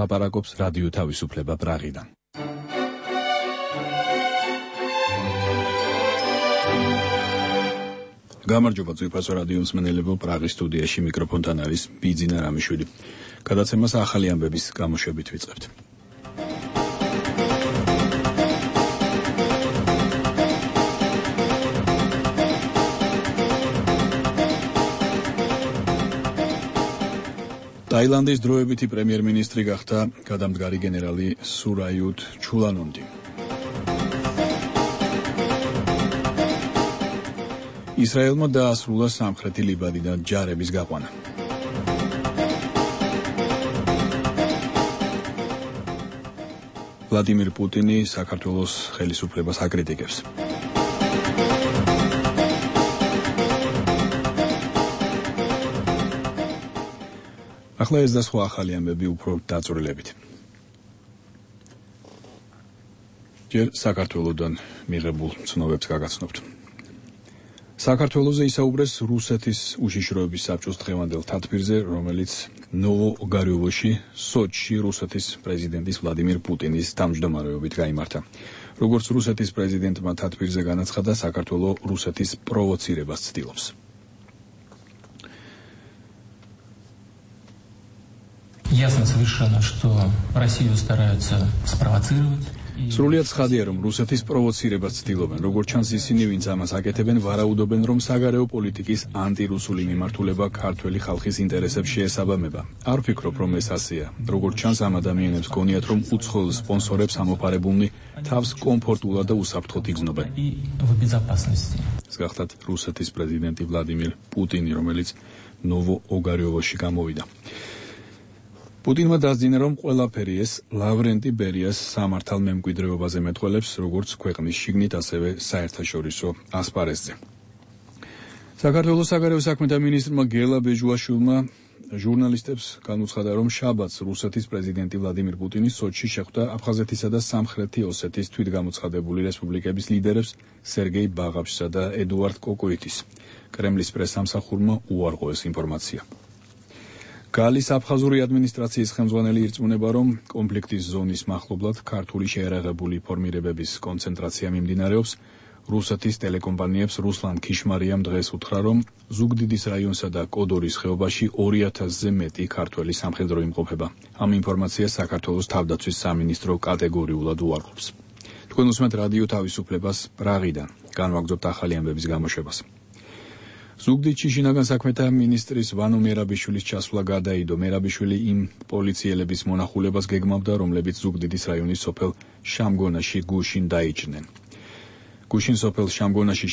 ლაპარაკობს რადიო თავისუფლება პრაღიდან. გამარჯობა ძვირფასო რადიო მსმენელებო, პრაღის სტუდიაში მიკროფონთან არის ბიძინა რამიშვილი. გადაცემას ახალი ამბების გამოშვებით ვიწყებთ. ტაილანდის დროებითი პრემიერ-მინისტრი გახდა გადამდგარი გენერალი სურაიუტ ჩულანონდი. ისრაელმა დაასრულა სამხრეთი ლიბანიდან ჯარების გაყვანა. ვლადიმირ პუტინი საქართველოს ხელისუფლებას აკრიტიკებს. ახლა ეს და სხვა ახალი ამბები უფრო დაწვრილებით. ჯერ საქართველოდან მიღებულ ცნობებს გაგაცნობთ. საქართველოზე ისაუბრეს რუსეთის უშიშროების საბჭოს დღევანდელ თათბირზე, რომელიც ნოვო-ოგარიოვოში, სოჩში რუსეთის პრეზიდენტის ვლადიმირ პუტინის თავმჯდომარეობით გაიმართა. როგორც რუსეთის პრეზიდენტმა თათბირზე განაცხადა, საქართველო რუსეთის პროვოცირებას ცდილობს. Ясно совершенно, что Россию стараются спровоцировать. სრულიად ცხადია, რომ რუსეთის პროვოცირებას ცდილობენ. როგორც ჩანს, ისინი, ვინც ამას აკეთებენ, ვარაუდობენ, რომ საგარეო პოლიტიკის ანტირუსული მიმართულება ქართველი ხალხის ინტერესებს შეესაბამება. არ ვფიქრობ, რომ ეს ასეა. როგორც ჩანს, ამ ადამიანებს გონიათ, რომ უცხოელ სპონსორებს ამოფარებულნი თავს კომფორტულად და უსაფრთხოდ იგრძნობენ. ეს გახლავთ რუსეთის პრეზიდენტი ვლადიმირ პუტინი, რომელიც ნოვო-ოგარიოვოში გამოვიდა. პუტინმა დასძინა, რომ ყველაფერი ეს ლავრენტი ბერიას სამართალ მემკვიდრეობაზე მეტყველებს, როგორც ქვეყნის შიგნით, ასევე საერთაშორისო ასპარეზზე. საქართველოს საგარეო საქმეთა მინისტრმა გელა ბეჟუაშვილმა ჟურნალისტებს განუცხადა, რომ შაბათს რუსეთის პრეზიდენტი ვლადიმირ პუტინი სოჩში შეხვდა აფხაზეთისა და სამხრეთი ოსეთის თვითგამოცხადებული რესპუბლიკების ლიდერებს სერგეი ბაღავშსა და ედუარდ კოკოიტის. კრემლის პრესსამსახურმა უარყო ეს ინფორმაცია. გალის აფხაზური ადმინისტრაციის ხელმძღვანელი ირწმუნება, რომ კონფლიქტის ზონის მახლობლად ქართული შეერაღებული ფორმირებების კონცენტრაცია მიმდინარეობს. რუსეთის ტელეკომპანიებს რუსლან ქიშმარიამ დღეს უთხრა, რომ ზუგდიდის რაიონსა და კოდორის ხეობაში 2000-ზე მეტი ქართველი სამხედრო იმყოფება. ამ ინფორმაციას საქართველოს თავდაცვის სამინისტრო კატეგორიულად უარყოფს. თქვენ უსმენთ რადიო თავისუფლებას პრაღიდან. განვაგრძობთ ახალი ამბების გამოშვებას. ზუგდიდში შინაგან საქმეთა მინისტრის ვანო მერაბიშვილის ჩასვლა გადაიდო. მერაბიშვილი იმ პოლიციელების მონახულებას გეგმავდა, რომლებიც ზუგდიდის რაიონის სოფელ შამგონაში გუშინ დაიჭრნენ. გუშინ სოფელ შამგონაში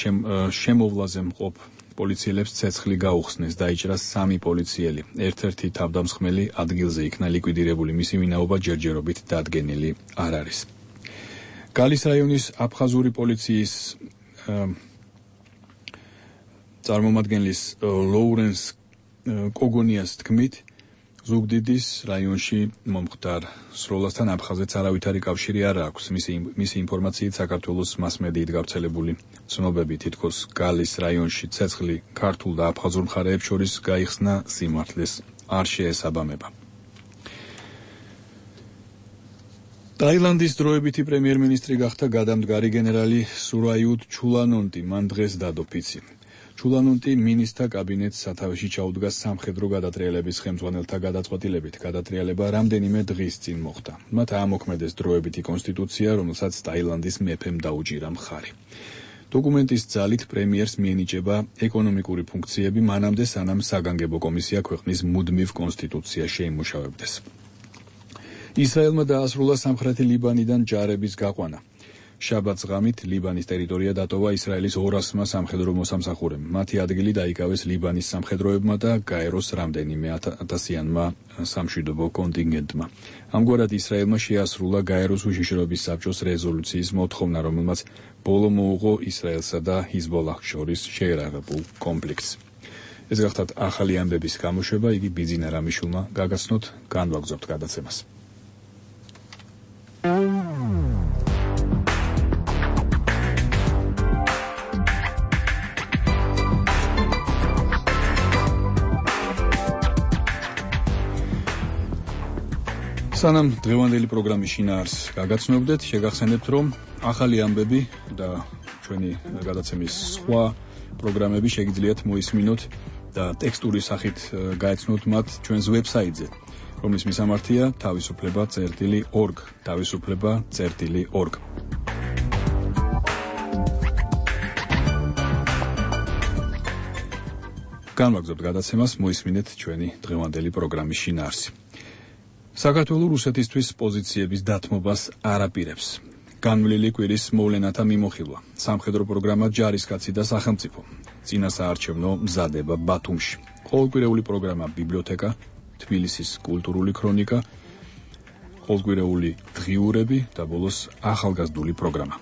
შემოვლაზე მყოფ პოლიციელებს ცეცხლი გაუხსნეს, დაიჭრა 3 პოლიციელი. ერთ-ერთი თავდამსხმელი ადგილზე იქნა ლიკვიდირებული, მისი ვინაობა ჯერჯერობით დადგენილი არ არის. გალის რაიონის აფხაზური პოლიციის წარმომადგენლის ლოურენს კოგონიას თქმით, ზუგდიდის რაიონში მომხდარ სროლასთან აფხაზეთს არავითარი კავშირი არ აქვს. მისი ინფორმაციით საქართველოს მასმედიით გავრცელებული ცნობები თითქოს გალის რაიონში ცეცხლი ქართულ და აფხაზურ მხარეებს შორის გაიხსნა სიმართლეს არ შეესაბამება. ტაილანდის დროებითი პრემიერ-მინისტრი გახდა გადამდგარი გენერალი სურაიუტ ჩულანონდი. მან დღეს დადო ფიცი. ჩულანონდი მინისტრთა კაბინეტს სათავეში ჩაუდგა სამხედრო გადატრიალების ხელმძღვანელთა გადაწყვეტილებით. გადატრიალება რამდენიმე დღის წინ მოხდა. მათ აამოქმედეს დროებითი კონსტიტუცია, რომელსაც ტაილანდის მეფემ დაუჭირა მხარი. დოკუმენტის ძალით პრემიერს მიენიჭება ეკონომიკური ფუნქციები მანამდე, სანამ საგანგებო კომისია ქვეყნის მუდმივ კონსტიტუციაში შეიმუშავებდეს. ისრაელმა დაასრულა სამხრეთი ლიბანიდან ჯარების გაყვანა. შაბათს ღამით ლიბანის ტერიტორია დატოვა ისრაელის 200-მა სამხედრო მოსამსახურემ. მათი ადგილი დაიკავეს ლიბანის სამხედროებმა და გაეროს რამდენიმე ათასიანმა სამშვიდობო კონტინგენტმა. ამგვარად ისრაელმა შეასრულა გაეროს უშიშროების საბჭოს რეზოლუციის მოთხოვნა, რომელმაც ბოლო მოუღო ისრაელსა და ჰიზბოლაჰს შორის შეერაღებულ კონფლიქტს. ეს გახლავთ ახალი ამბების გამოშვება, იგი ბიძინა რამიშვილმა გაგაცნოთ, განვაგრძობთ გადაცემას. სანამ დღევანდელი პროგრამის შინაარს გაგაცნობდეთ, შეგახსენებთ, რომ ახალი ამბები და ჩვენი გადაცემის სხვა პროგრამები შეგიძლიათ მოისმინოთ და ტექსტური სახით გაეცნოთ მათ ჩვენს ვებსაიტზე, რომლის მისამართია თავისუფლება.org, თავისუფლება.org. განვაგრძობთ გადაცემას, მოისმინეთ ჩვენი დღევანდელი პროგრამის შინაარსი. საქართველოს რუსეთისთვის პოზიციების დათმობას არ აპირებს. განვლილი კვირის მოვლენათა მიმოხილვა, სამხედრო პროგრამა ჯარისკაცი და სახელმწიფო, წინასაარჩევნო მზადება ბათუმში, ყოველკვირეული პროგრამა ბიბლიოთეკა, თბილისის კულტურული ქრონიკა, ყოველკვირეული დღიურები და ბოლოს ახალგაზრდული პროგრამა.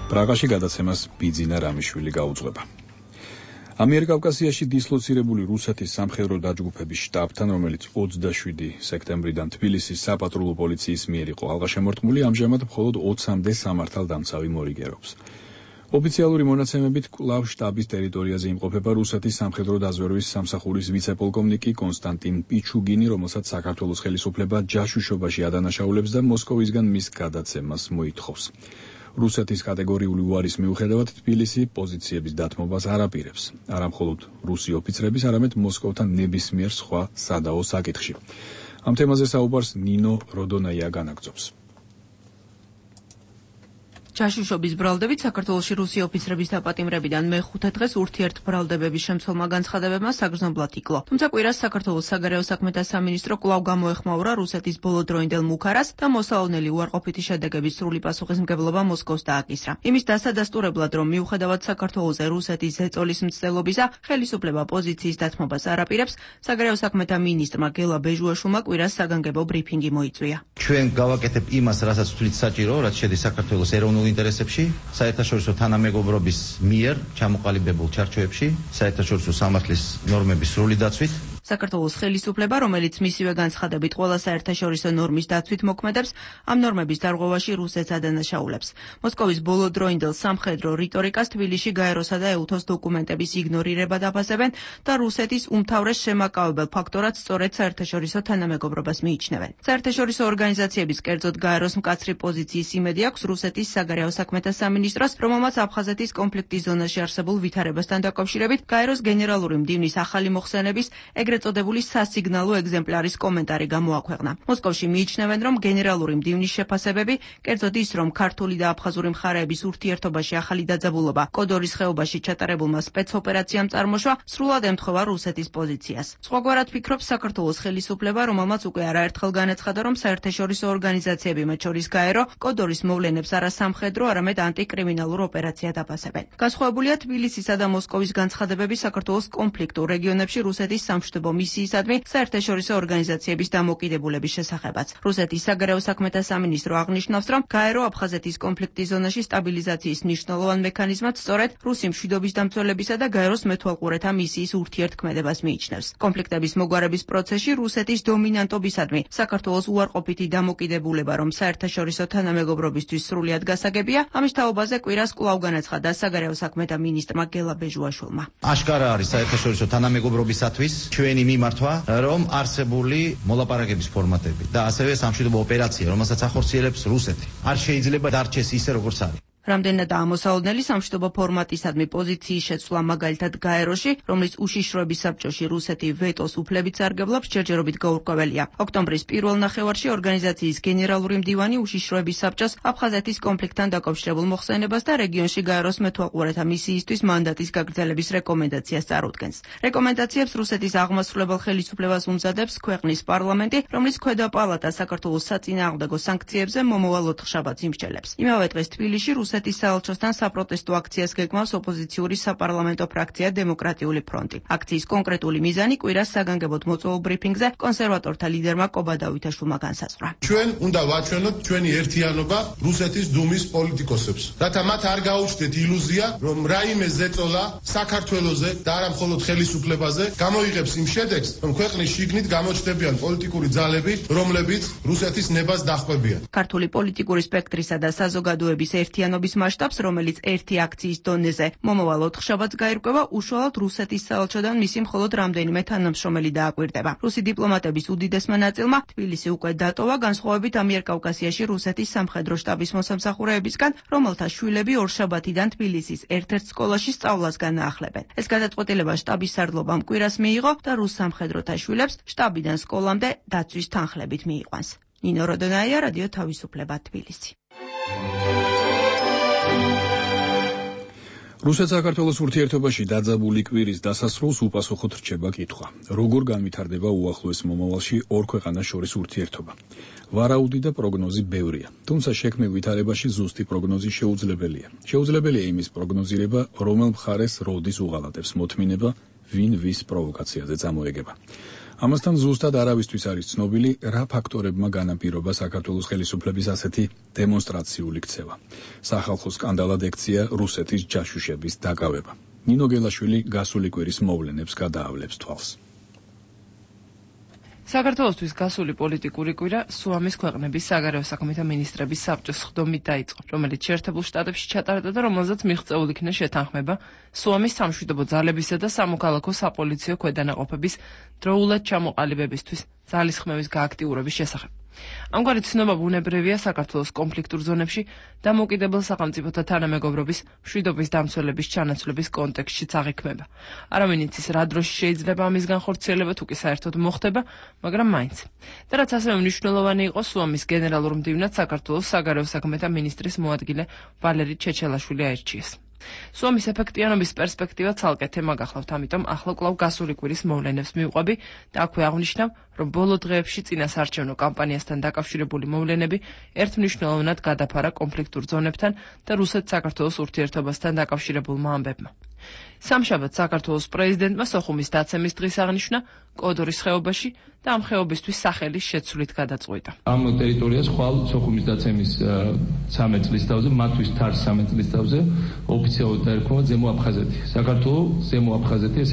პრაღაში გადაცემას ბიძინა რამიშვილი გაუძღვება. ამიერკავკასიაში დისლოცირებული რუსეთის სამხედრო დაჯგუფების შტაბთან, რომელიც 27 სექტემბრიდან თბილისის საპატრულო პოლიციის მიერ იყო ალღაშემორტმული, ამჟამად მხოლოდ 20-მდე სამართალდამცავი მორიგერობს. ოფიციალური მონაცემებით კვლავ შტაბის ტერიტორიაზე იმყოფება რუსეთის სამხედრო დაზვერვის სამსახურის ვიცე-პოლკოვნიკი კონსტანტინ პიჩუგინი, რომელსაც საქართველოს ხელისუფლება ჯაშუშობაში ადანაშაულებს და მოსკოვისგან მის გადაცემას მოითხოვს. რუსეთის კატეგორიული უარის მიუხედავად თბილისი პოზიციების დათმობას არ აპირებს, არა მხოლოდ რუსი ოფიცრების, არამედ მოსკოვთან ნებისმიერ სხვა სადაო საკითხში. ამ თემაზე საუბარს ნინო როდონაია განაგრძობს. ჯაშუშობის ბრალდებით საქართველოში რუსი ოფიცრების დაპატიმრებიდან მე-5 დღეს ურთიერთბრალდებების შემცველმა განცხადებებმა საგრძნობლად იკლო. თუმცა კვირას საქართველოს საგარეო საქმეთა სამინისტრო კვლავ გამოეხმაურა რუსეთის ბოლოდროინდელ მუქარას და მოსაოვნელი უარყოფითი შედეგების სრული პასუხისმგებლობა მოსკოვს დააკისრა. იმის დასადასტურებლად, რომ მიუხედავად საქართველოზე რუსეთის ზეწოლის მცდელობისა, ხელისუფლება პოზიციის დათმობას არ აპირებს, საგარეო საქმეთა მინისტრმა გელა ბეჟუაშვილმა კვირას საგანგებო ბრიფინგი მოიწვია. ჩვენ გავაკეთებ იმას, რასაც თვლით საჭირო, რაც შედის საქართველოს ეროვნულ ინტერესებში, საერთაშორისო თანამეგობრობის მიერ ჩამოყალიბებულ ჩარჩოებში, საერთაშორისო სამართლის ნორმების სრული დაცვით. საქართველოს ხელისუფლება, რომელიც მისივე განცხადებით ყველა საერთაშორისო ნორმის დაცვით მოქმედებს, ამ ნორმების დარღვევაში რუსეთს ადანაშაულებს. მოსკოვის ბოლოდროინდელ სამხედრო რიტორიკას თბილისში გაეროსა და ეუთოს დოკუმენტების იგნორირება დაფასებენ და რუსეთის უმთავრეს შემაკავებელ ფაქტორად სწორედ საერთაშორისო თანამეგობრობას მიიჩნევენ. საერთაშორისო ორგანიზაციების, კერძოდ გაეროს მკაცრი პოზიციის იმედი აქვს რუსეთის საგარეო საქმეთა სამინისტროს, რომელმაც აფხაზეთის კონფლიქტის ზონაში არსებულ ვითარებასთან დაკავშირებით გაეროს გენერალური მდივნის ახალი მოხსენების ეგრეთ წოდებული სასიგნალო ეგზემპლარის კომენტარი გამოაქვეყნა. მოსკოვში მიიჩნევენ, რომ გენერალური მდივნის შეფასებები, კერძოდ ის, რომ ქართული და აფხაზური მხარეების ურთიერთობაში ახალი დაძაბულობა კოდორის ხეობაში ჩატარებულმა სპეცოპერაციამ წარმოშვა, სრულად ემთხვევა რუსეთის პოზიციას. სხვაგვარად ფიქრობს საქართველოს ხელისუფლება, რომელმაც უკვე არაერთხელ განაცხადა, რომ საერთაშორისო ორგანიზაციები, მათ შორის გაერო, კოდორის მოვლენებს არა სამხედრო, არამედ ანტიკრიმინალურ ოპერაციად აფასებენ. განსხვავებულია თბილისისა და მოსკოვის განცხადებები საქართველოს კონფლიქტურ რეგიონებში რუსეთის სამშვიდობო მისიისადმი საერთაშორისო ორგანიზაციების დამოკიდებულების შესახებაც. რუსეთის საგარეო საქმეთა სამინისტრო აღნიშნავს, რომ გაერო აფხაზეთის კონფლიქტის ზონაში სტაბილიზაციის მნიშვნელოვან მექანიზმად სწორედ რუსი მშვიდობის დამცველებისა და გაეროს მეთვალყურეთა მისიის ურთიერთქმედებას მიიჩნევს. კონფლიქტების მოგვარების პროცესში რუსეთის დომინანტობისადმი საქართველოს უარყოფითი დამოკიდებულება, რომ საერთაშორისო თანამეგობრობისთვის სრულად გასაგებია, ამის თაობაზე კვირას კვლავ განაცხადა საგარეო საქმეთა მინისტრმა გელა ბეჟუაშვილმა. აშკარა არის საერთაშორისო თანამეგობრობისათვის ჩვენი მიმართვა, რომ არსებული მოლაპარაკების ფორმატები და ასევე სამშვიდობო ოპერაცია, რომელსაც ახორციელებს რუსეთი, არ შეიძლება დარჩეს ისე, როგორც არის. რამდენადაა მოსაოდნელი სამშვიდობო ფორმატისადმი პოზიციის შეცვლა მაგალითად გაეროში, რომლის უშიშროების საბჭოში რუსეთი ვეტოს უფლებით სარგებლობს, ჯერჯერობით გაურკვეველია. ოქტომბრის პირველ ნახევარში ორგანიზაციის გენერალური მდივანი უშიშროების საბჭოს აფხაზეთის კონფლიქტთან დაკავშირებულ მოხსენებას და რეგიონში გაეროს მეთვალყურეთა მისიისთვის მანდატის გაგრძელების რეკომენდაციას წარუდგენს. რეკომენდაციებს რუსეთის აღმასრულებელ ხელისუფლებას უმზადებს ქვეყნის პარლამენტი, რომლის ქვედა პალატა საქართველოს საწინააღმდეგო სანქციებზე მომავალ ოთხშაბათს იმსჯელებს. იმავე დღეს თბილისში რუსეთის საელჩოსთან საპროტესტო აქციას გეგმავს ოპოზიციური საპარლამენტო ფრაქცია დემოკრატიული ფრონტი. აქციის კონკრეტული მიზანი კვირას საგანგებოდ მოწვეულ ბრიფინგზე კონსერვატორთა ლიდერმა კობა დავითაშვილმა განსაზღვრა. ჩვენ უნდა ვაჩვენოთ ჩვენი ერთიანობა რუსეთის დუმის პოლიტიკოსებს, რათა მათ არ გაუჩნდეთ ილუზია, რომ რაიმე ზეწოლა საქართველოზე და არა მხოლოდ ხელისუფლებაზე გამოიღებს იმ შედეგს, რომ ქვეყნის შიგნით გამოჩნდებიან პოლიტიკური ძალები, რომლებიც რუსეთის ნებას დახვევიან. ქართული პოლიტიკური სპექტრისა და საზოგადოების ერთიანობა მუშაობის მასშტაბს, რომელიც ერთი აქციის დონეზე მომავალ 4 შაბათს გაირკვევა, უშუალოდ რუსეთის საელჩოდან მისი მხოლოდ რამდენიმე თანამშრომელი დააკვირდება. რუსი დიპლომატების უდიდესმა ნაწილმა თბილისი უკვე დატოვა, განსხვავებით ამიერკავკასიაში რუსეთის სამხედრო შტაბის მოსამსახურეებისგან, რომელთა შვილები ორშაბათიდან თბილისის ერთ-ერთ სკოლაში სწავლას განაახლებენ. ეს გადაწყვეტილება შტაბის სარდლობამ კვირას მიიღო და რუს სამხედროთა შვილებს შტაბიდან სკოლამდე დაცვის თანხლებით მიიყვანს. ნინო როდონაია, რადიო თავისუფლება, თბილისი. რუსეთ-საქართველოს ურთიერთობაში დაძაბული კვირის დასასრულს უპასუხოდ რჩება კითხვა. როგორ განვითარდება უახლოეს მომავალში ორ ქვეყანას შორის ურთიერთობა? ვარაუდი და პროგნოზი ბევრია, თუმცა შექმნილ ვითარებაში ზუსტი პროგნოზი შეუძლებელია. შეუძლებელია იმის პროგნოზირება, რომელ მხარეს როდის უღალატებს მოთმინება, ვინ ვის პროვოკაციაზე წამოეგება. ამასთან ზუსტად არავისთვის არის ცნობილი, რა ფაქტორებმა განაპირობა საქართველოს ხელისუფლების ასეთი დემონსტრაციული ქცევა. სახალხო სკანდალად ექცია რუსეთის ჯაშუშების დაკავება. ნინო გელაშვილი გასული კვირის მოვლენებს გადაავლებს თვალს. საქართველოსთვის გასული პოლიტიკური კვირა სუამის ქვეყნების საგარეო საქმეთა მინისტრების საბჭოს ხდომით დაიწყო, რომელიც შეერთებულ შტატებში ჩატარდა და რომელზეც მიღწეული იქნა შეთანხმება სუამის სამშვიდობო ძალებისა და სამოქალაქო საპოლიციო ქვედანაყოფების დროულად ჩამოყალიბებისთვის ძალისხმევის გააქტიურების შესახებ. ამგვარი ცნობა ბუნებრივია საქართველოს კონფლიქტურ ზონებში დამოუკიდებელ სახელმწიფოთა თანამეგობრობის მშვიდობის დამცველების ჩანაცვლების კონტექსტშიც აღიქმება. არავინ იცის რა დროში შეიძლება ამის განხორციელება, თუ კი საერთოდ მოხდება, მაგრამ მაინც. და რაც ასევე მნიშვნელოვანი იყო, სუამის გენერალურ მდივნად საქართველოს საგარეო საქმეთა მინისტრის მოადგილე ვალერი ჩეჩელაშვილი აირჩიეს. სუამის ეფექტიანობის პერსპექტივა ცალკე თემა გახლავთ, ამიტომ ახლა კვლავ გასული კვირის მოვლენებს მივყვები და აქვე აღვნიშნავ, რომ ბოლო დღეებში წინასაარჩევნო კამპანიასთან დაკავშირებული მოვლენები ერთმნიშვნელოვნად გადაფარა კონფლიქტურ ზონებთან და რუსეთ-საქართველოს ურთიერთობასთან დაკავშირებულმა ამბებმა. სამშაბათს საქართველოს პრეზიდენტმა სოხუმის დაცემის დღის აღნიშვნა კოდორის ხეობაში და ამ ხეობისთვის სახელის შეცვლით გადაწყვიტა. ამ ტერიტორიას ხვალ სოხუმის დაცემის 13 წლის თავზე, მათთვის თარს 13 წლის თავზე ოფიციალურად დაერქვა ზემო აფხაზეთი. საქართველოს ზემო აფხაზეთი, ეს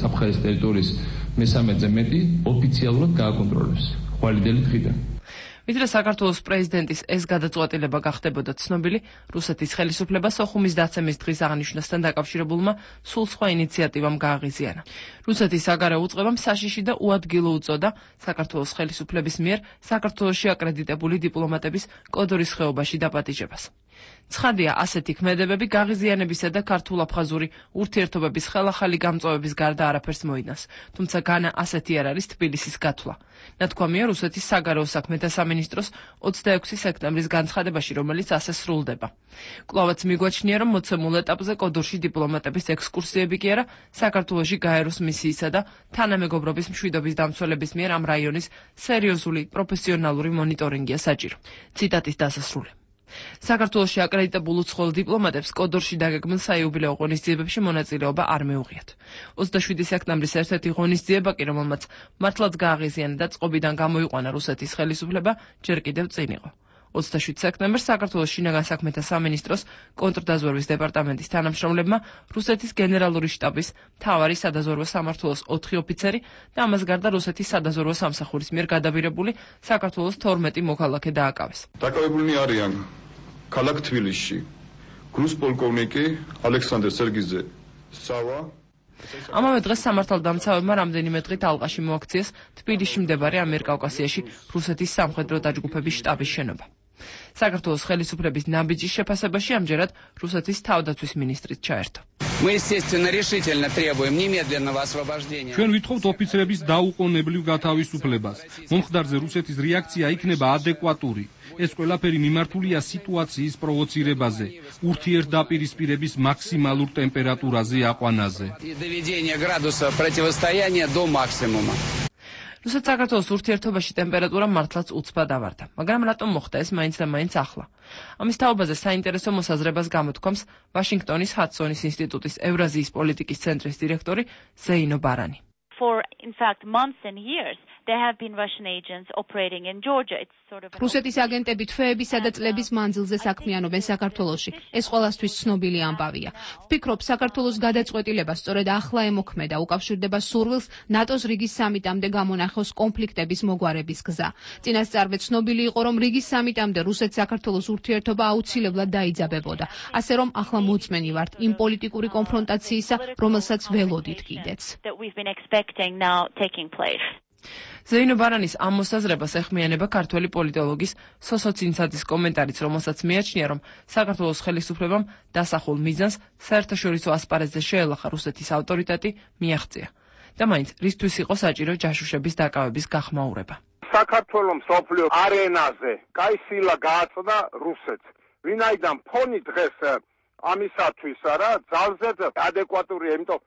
საფხაზეთის ტერიტორიის 13-ზე მეტი ოფიციალურად გააკონტროლებს ხვალიდელი დღიდან. ვიდრე საქართველოს პრეზიდენტის ეს გადაწყვეტილება გახდებოდა ცნობილი, რუსეთის ხელისუფლება სოხუმის დაცემის დღის აღნიშვნასთან დაკავშირებულმა სულ სხვა ინიციატივამ გააღიზიანა. რუსეთის საგარეო უწყებამ საშიში და უადგილო უწოდა საქართველოს ხელისუფლების მიერ საქართველოში აკრედიტებული დიპლომატების კოდორის ხეობაში დაპატიჟებას. ცხადია, ასეთი ქმედებები გაღიზიანებისა და ქართულ-აფხაზური ურთიერთობების ხელახალი გამწვავების გარდა არაფერს მოიდანს, თუმცა განა ასეთი არ არის თბილისის გათვლა. ნათქვამია რუსეთის საგარეო საქმეთა სამინისტროს 26 სექტემბრის განცხადებაში, რომელიც ასე სრულდება. კვლავაც მიგვაჩნია, რომ მოცემულ ეტაპზე კოდორში დიპლომატების ექსკურსიები კი არა, საქართველოში გაეროს მისიისა და თანამეგობრობის მშვიდობის დამცველების მიერ ამ რაიონის სერიოზული პროფესიონალური მონიტორინგია საჭირო. ციტატის დასასრული. საქართველოში აკრედიტებულ უცხოელ დიპლომატებს კოდორში დაგეგმილ საიუბილეო ღონისძიებებში მონაწილეობა არ მეუღიათ. 27 სექტემბრის ერთ-ერთი ღონისძიება კი, რომელმაც მართლაც გააღიზიანა და წყობიდან გამოიყვანა რუსეთის ხელისუფლება, ჯერ კიდევ წინ იყო. 27 სექტემბერს საქართველოს შინაგან საქმეთა სამინისტროს კონტრდაზვერვის დეპარტამენტის თანამშრომლებმა რუსეთის გენერალური შტაბის მთავარი სადაზვერვო სამმართველოს 4 ოფიცერი და ამას გარდა რუსეთის სადაზვერვო სამსახურის მიერ გადაბირებული საქართველოს 12 მოქალაქე დააკავეს. დაკავებულნი არიან ქალაქ თბილისში გრუსპოლკოვნიკი ალექსანდრე სერგიძე სავა. ამავე დღეს სამართალდამცავებმა რამდენიმე დღით ალყაში მოაქციეს თბილისში მდებარე ამიერკავკასიაში რუსეთის სამხედრო დაჯგუფების შტაბის შენობა. საქართველოს ხელისუფლების ნაბიჯის შეფასებაში ამჯერად რუსეთის თავდაცვის მინისტრიც ჩაერთო. ჩვენ ვითხოვთ ოფიცრების დაუყოვნებლივ გათავისუფლებას. მომხდარზე რუსეთის რეაქცია იქნება ადეკვატური. ეს ყველაფერი მიმართულია სიტუაციის პროვოცირებაზე, ურთიერთდაპირისპირების მაქსიმალურ ტემპერატურაზე აყვანაზე. რუსეთ-საქართველოს ურთიერთობაში ტემპერატურა მართლაც უცბად ავარდა, მაგრამ რატომ მოხდა ეს მაინც და მაინც ახლა? ამის თაობაზე საინტერესო მოსაზრებას გამოთქვამს ვაშინგტონის ჰადსონის ინსტიტუტის ევრაზიის პოლიტიკის ცენტრის დირექტორი ზეინო ბარანი. For in fact months and years რუსეთის აგენტები თვეებისა და წლების მანძილზე საქმიანობენ საქართველოში. ეს ყველასთვის ცნობილი ამბავია. ვფიქრობ, საქართველოს გადაწყვეტილება სწორედ ახლა ემოქმედა, უკავშირდება სურვილს ნატოს რიგის სამიტამდე გამონახოს კონფლიქტების მოგვარების გზა. წინასწარვე ცნობილი იყო, რომ რიგის სამიტამდე რუსეთ-საქართველოს ურთიერთობა აუცილებლად დაიძაბებოდა. ასე რომ ახლა მოწმენი ვართ იმ პოლიტიკური კონფრონტაციისა, რომელსაც ველოდით კიდეც. ზეინო ბარანის ამ მოსაზრებას ეხმიანება ქართველი პოლიტოლოგის სოსო ცინცაძის კომენტარიც, რომელსაც მიაჩნია, რომ საქართველოს ხელისუფლებამ დასახულ მიზანს საერთაშორისო ასპარეზზე შეელახა რუსეთის ავტორიტეტი მიაღწია და მაინც რისთვის იყო საჭირო ჯაშუშების დაკავების გახმაურება. საქართველოს მსოფლიო არენაზე კაი სილა გააწოდა რუსეთს. ვინაიდან ფონი დღეს ამისათვის რა ძალზედ ადეკვატურია, იმიტომ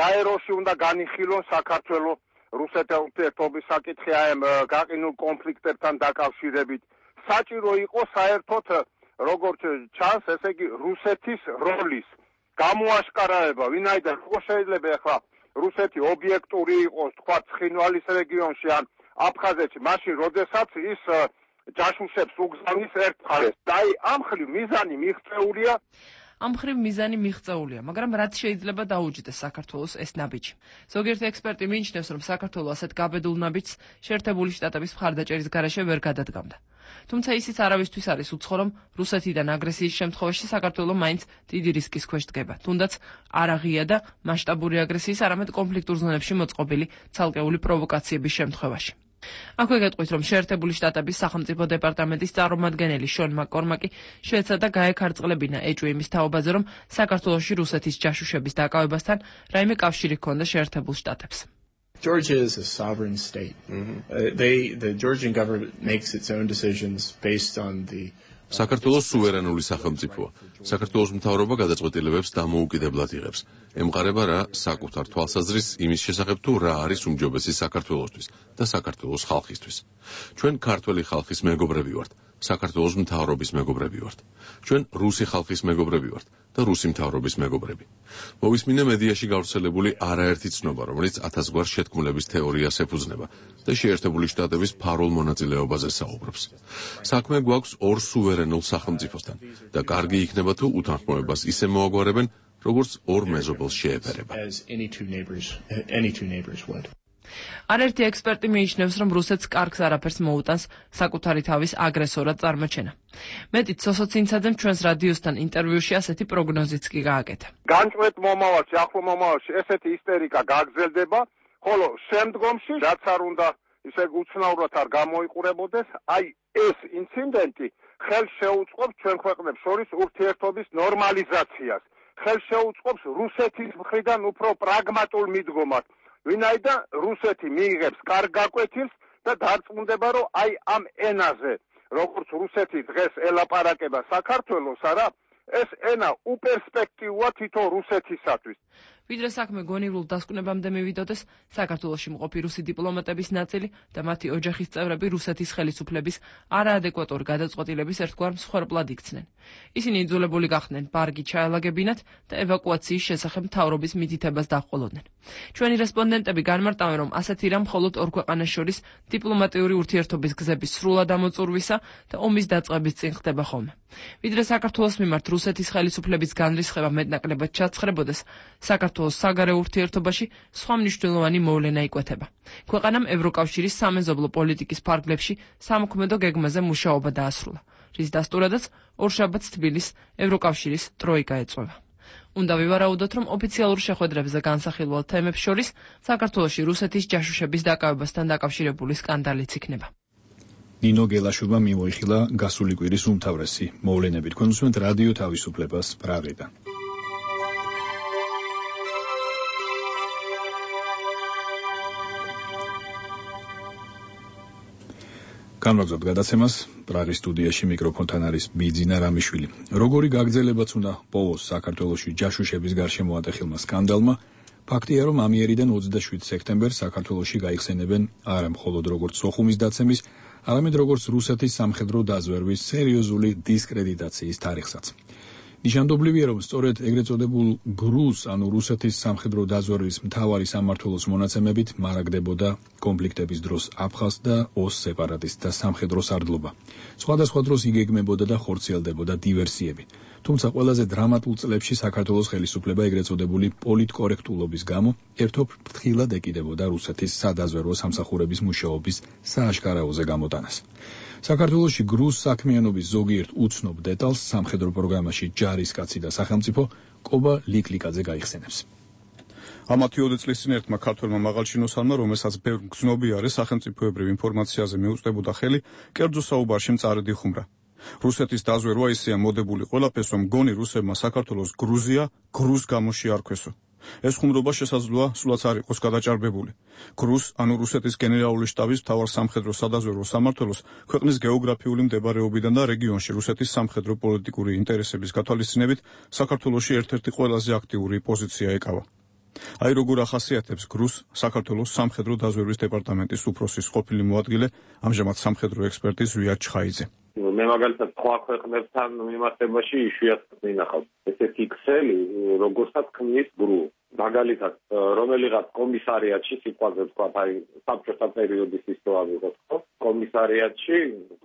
გაეროში უნდა განიხილონ საქართველოს რუსეთის ურთიერთობის საკითხი ამ გაყინულ კონფლიქტებთან დაკავშირებით. საჭირო იყო საერთოდ როგორც ჩანს, ესე იგი რუსეთის როლის გამოაშკარავება, ვინაიდან როგორ შეიძლება ახლა რუსეთი ობიექტური იყოს, თქვა ცხინვალის რეგიონში ან აფხაზეთში, მაშინ როდესაც ის ჯაშუშებს უგზავნის ერთხალეს. და ამ ხრივ მიზანი მიღწეულია. ამ ხრივ მიზანი მიღწეულია, მაგრამ რაც შეიძლება დაუჯდეს საქართველოს ეს ნაბიჯი. ზოგიერთი ექსპერტი მიიჩნევს, რომ საქართველოს ასეთ გაბედულ ნაბიჯს შეერთებული შტატების მხარდაჭერის გარეშე ვერ გადადგამდა. თუმცა ისიც არავისთვის არის უცხო, რომ რუსეთიდან აგრესიის შემთხვევაში საქართველოს მაინც დიდი რისკის ქვეშ დგება, თუნდაც არ აღია და მასშტაბური აგრესიის, არამედ კონფლიქტურ ზონებში მოწყობილი ცალკეული პროვოკაციების შემთხვევაში. აქვე გეტყვით, რომ შეერთებული შტატების სახელმწიფო დეპარტამენტის წარმომადგენელი შონ მაკკორმაკი შეეცადა გაეკარწყლებინა ეჭვი თაობაზე, რომ საქართველოში რუსეთის ჯაშუშების დაკავებასთან რაიმე კავშირი ჰქონდა შეერთებულ შტატებს. Georgia is a sovereign state. The Georgian government makes its own decisions based on the საქართველოს სუვერენული სახელმწიფოა. საქართველოს მთავრობა გადაწყვეტილებებს დამოუკიდებლად იღებს. ემყარება რა საკუთარ თვალსაზრისს იმის შესახებ, თუ რა არის უმჯობესი საქართველოსთვის და საქართველოს ხალხისთვის. ჩვენ ქართველი ხალხის მეგობრები ვართ, საქართველოს მთავრობის მეგობრები ვართ. ჩვენ რუსი ხალხის მეგობრები ვართ და რუსი მთავრობის მეგობრები. მოვისმინე მედიაში გავრცელებული არაერთი ცნობა, რომელიც 1000 გვარ შეთქმულების თეორიას ეფუძნება და შეერთებული შტატების ფარულ მონაწილეობაზე საუბრობს. საქმე გვაქვს ორ სუვერენულ სახელმწიფოსთან და კარგი იქნება თუ უთანხმოებას ისე მოაგვარებენ, როგორც ორ მეზობელს შეეფერება. არაერთი ექსპერტი მიიჩნევს, რომ რუსეთს კარგს არაფერს მოუტანს საკუთარი თავის აგრესორად წარმოჩენა. მეტიც სოსო ცინცაძემ ჩვენს რადიოსთან ინტერვიუში ასეთი პროგნოზიც კი გააკეთა. განჭვეთ მომავალში, ახლო მომავალში ესეთი ისტერიკა გაგრძელდება, ხოლო შემდგომში რაც არ უნდა ისე უცნაურად არ გამოიყურებოდეს, აი ეს ინციდენტი ხელს შეუწყობს ჩვენ ქვეყნებს შორის ურთიერთობის ნორმალიზაციას. ხელს შეუწყობს რუსეთის მხრიდან უფრო პრაგმატულ მიდგომას. ვინაიდან რუსეთი მიიღებს კარგ გაკვეთილს და დარწმუნდება, რომ აი ამ ენაზე, როგორც რუსეთი დღეს ელაპარაკება საქართველოს, არა, ეს ენა უპერსპექტივოა თითო რუსეთისათვის. ვიდრე საქმე გონივრულ დასკვნებამდე მივიდოდეს, საქართველოში მყოფი რუსი დიპლომატების ნაწილი და მათი ოჯახის წევრები რუსეთის ხელისუფლების არაადეკვატური გადაწყვეტილების ერთგვარ მსხვერპლად იქცნენ. ისინი იძულებული გახდნენ ბარგი ჩაელაგებინათ და ევაკუაციის შესახებ მთავრობის მითითებას დაჰყოლოდნენ. ჩვენი რესპონდენტები განმარტავენ, რომ ასეთი რამ მხოლოდ ორ ქვეყანას შორის დიპლომატიური ურთიერთობის გზების სრულად ამოწურვისა და ომის დაწყების წინ ხდება ხოლმე. ვიდრე საქართველოს მიმართ რუსეთის ხელისუფლების განრისხება მეტნაკლებად ჩაცხრებოდეს, საქართველოს საგარეო ურთიერთობაში სხვა მნიშვნელოვანი მოვლენა იკვეთება. ქვეყანამ ევროკავშირის სამეზობლო პოლიტიკის ფარგლებში სამოქმედო გეგმაზე მუშაობა დაასრულა, რის დასტურადაც ორშაბათს თბილისს ევროკავშირის ტროიკა ეწვევა. უნდა ვივარაუდოთ, რომ ოფიციალურ შეხვედრებზე განსახილველ თემებს შორის საქართველოში რუსეთის ჯაშუშების დაკავებასთან დაკავშირებული სკანდალიც იქნება. ნინო გელაშვილმა მიმოიხილა გასული კვირის უმთავრესი მოვლენები. თქვენ უსმენთ რადიო თავისუფლებას პრაღიდან. განვაგრძობთ გადაცემას. პრაღის სტუდიაში მიკროფონთან არის ბიძინა რამიშვილი. როგორი გაგრძელებაც უნდა პოვოს საქართველოში ჯაშუშების გარშემო ატეხილმა სკანდალმა, ფაქტია, რომ ამიერიდან 27 სექტემბერს საქართველოში გაიხსენებენ არა მხოლოდ როგორც სოხუმის დაცემის, არამედ როგორც რუსეთის სამხედრო დაზვერვის სერიოზული დისკრედიტაციის თარიღსაც. ნიშანდობლივია, რომ სწორედ ეგრეთ წოდებულ გრუს, ანუ რუსეთის სამხედრო დაზვერვის მთავარი სამმართველოს მონაცემებით მარაგდებოდა კონფლიქტების დროს აფხაზ და ოს სეპარატისტთა სამხედრო სარდლობა. სხვადასხვა დროს იგეგმებოდა და ხორციელდებოდა დივერსიები. თუმცა ყველაზე დრამატულ წლებში საქართველოს ხელისუფლება ეგრეთ წოდებული პოლიტკორექტულობის გამო ერთობ ფრთხილად ეკიდებოდა რუსეთის სადაზვერვო სამსახურების მუშაობის სააშკარაოზე გამოტანას. საქართველოში გრუს საქმიანობის ზოგიერთ უცნობ დეტალს სამხედრო პროგრამაში ჯარისკაცი და სახელმწიფო კობა ლიკლიკაძე გაიხსენებს. ამათი 20 წლის წინ ერთმა ქართველმა მაღალჩინოსანმა, რომელსაც ბევრ მგზნობიარე სახელმწიფოებრივ ინფორმაციაზე მიუწვდებოდა ხელი, კერძო საუბარში მწარედ იხუმრა. რუსეთის დაზვერვა ისეა მოდებული ყველაფერს, რომ გონი რუსებმა საქართველოს გრუზია გრუს გამო შეარქვესო. ეს ხუმრობა შესაძლოა სულაც არ იყოს გადაჭარბებული. გრუს, ანუ რუსეთის გენერალური შტაბის მთავარ სამხედრო სადაზვერვო სამმართველოს ქვეყნის გეოგრაფიული მდებარეობიდან და რეგიონში რუსეთის სამხედრო პოლიტიკური ინტერესების გათვალისწინებით საქართველოში ერთ-ერთი ყველაზე აქტიური პოზიცია ეკავა. აი როგორ ახასიათებს გრუს საქართველოს სამხედრო დაზვერვის დეპარტამენტის უფროსის ყოფილი მოადგილე, ამჟამად სამხედრო ექსპერტი ზვიად ჩხაიძე. მე მაგალითად სხვა ქვეყნებთან მიმართებაში იშვიათად მინახავს ესეთი ქსელი, როგორცაც ქმნის გრუ. მაგალითად, რომელიღაც კომისარიატში სიტყვაზე ვთქვათ, აი საბჭოთა პერიოდის ისტორია ვიღოთ, კომისარიატში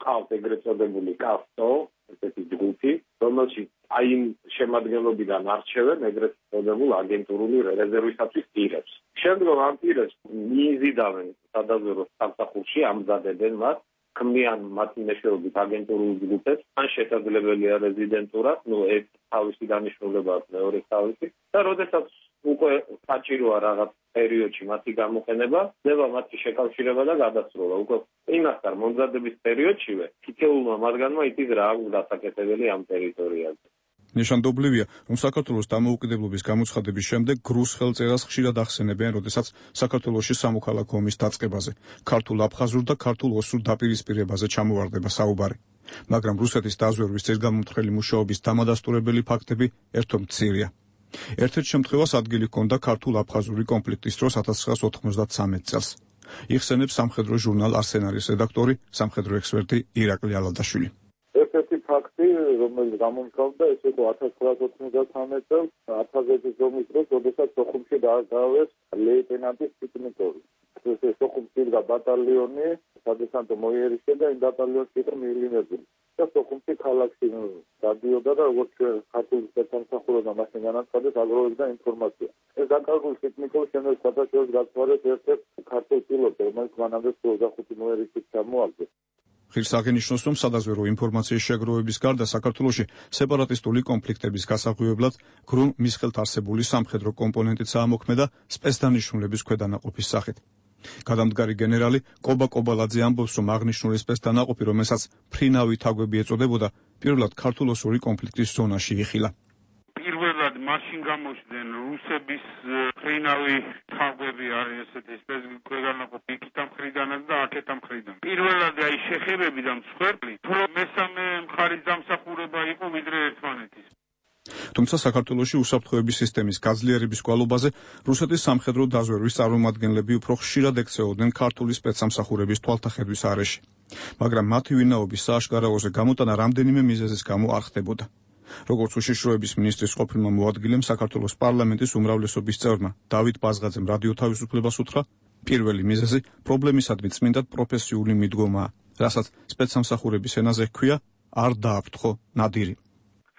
ყავს ეგრეთ წოდებული კასტო, ესეთი ჯგუფი, რომელშიც აი იმ შემადგენლობიდან არჩევენ ეგრეთ წოდებულ აგენტურული რეზერვისათვის პირებს. შემდგომ ამ პირებს მიიზიდავენ სადაზვერვო სამსახურში, ამზადებენ მათ, ქმნიან მათი მეშვეობით აგენტურულ ჯგუფებს, ან შესაძლებელია რეზიდენტურა, ეს თავისი დანიშნულება მეორე თავისი და როდესაც უკვე საჭიროა რაღაც პერიოდში მათი გამოყენება, ნება მათი შეკავშირება და გადასროლა. უკვე იმასთან მომზადების პერიოდშივე თითოეულმა მათგანმა იცის რა აქვს დასაკეთებელი ამ ტერიტორიაზე. ნიშანდობლივია, რომ საქართველოს დამოუკიდებლობის გამოცხადების შემდეგ გრუს ხელწერას ხშირად ახსენებენ, როდესაც საქართველოში სამოქალაქო ომის დაწყებაზე, ქართულ აფხაზურ და ქართულ ოსურ დაპირისპირებაზე ჩამოვარდება საუბარი. მაგრამ რუსეთის დაზვერვის ძირგამომთხრელი მუშაობის დამადასტურებელი ფაქტები ერთო მცირეა. ერთ-ერთ შემთხვევას ადგილი ჰქონდა ქართულ-აფხაზური კონფლიქტის დროს 1993 წელს. იხსენებს სამხედრო ჟურნალ არსენალის რედაქტორი, სამხედრო ექსპერტი ირაკლი ალადაშვილი. ერთ-ერთი ფაქტი, რომელიც გამომგავდა, ეს იყო 1993 წელს აფხაზეთის ომის დროს, როდესაც სოხუმში დააარსეს ლეიტენანტის ტიტულორი. ეს სოხუმში იდგა ბატალიონი, სადესანტო მოიერიშე და იმ ბატალიონში იყო მიილინებული. და სოხუმში ქალაქში გადიოდა და როგორც ქართული სპეცსამსახურებმა მაშინ განაცხადეს, აგროვებდა ინფორმაცია. ეს დაკარგული ტექნიკურ შემდგომ სათავეში გაწვარეს ერთ-ერთ ქართულ პილოტს, რომელიც მანამდე 25 მოიერიშით ჩამოაგდეს. ღირს აღინიშნოს, რომ სადაზვერვო ინფორმაციის შეგროვების გარდა საქართველოში სეპარატისტული კონფლიქტების გასაღვივებლად გრუმ მის ხელთ არსებული სამხედრო კომპონენტიც აამოქმედა სპეცდანიშნულების ქვედანაყოფის სახით. გადამდგარი გენერალი კობა კობალაძე ამბობს, რომ აღნიშნული სპეცდანაყოფი, რომელსაც ფრინავი თაგვები ეწოდებოდა, პირველად ქართულ-ოსური კონფლიქტის ზონაში იხილა. პირველად მაშინ გამოჩნდნენ რუსების ფრინავი თაგვები არის ესეთი სპეცდანაყოფი იქიდან მხრიდანაც და აქეთან მხრიდან. პირველად აი შეხებები და მსხვერპლი, რომ მესამე მხარის დამსახურება იყო ვიდრე ერთმანეთის. თუმცა საქართველოში უსაფრთხოების სისტემის გაძლიერების გვალობაზე რუსეთის სამხედრო დაზვერვის წარმომადგენლები უფრო ხშირად ექცეოდნენ ქართული სპეცსამსახურების თვალთახედვის არეში. მაგრამ მათი ვინაობის სააშკარაოზე გამოტანა რამდენიმე მიზეზის გამო არ ხდებოდა. როგორც უშიშროების მინისტრის ყოფილმა მოადგილემ საქართველოს პარლამენტის უმრავლესობის წევრმა დავით ბაზღაძემ რადიო თავისუფლებას უთხრა, პირველი მიზეზი პრობლემისადმი წმინდად პროფესიული მიდგომაა, რასაც სპეცსამსახურების ენაზე ჰქვია არ დააფრთხო ნადირი.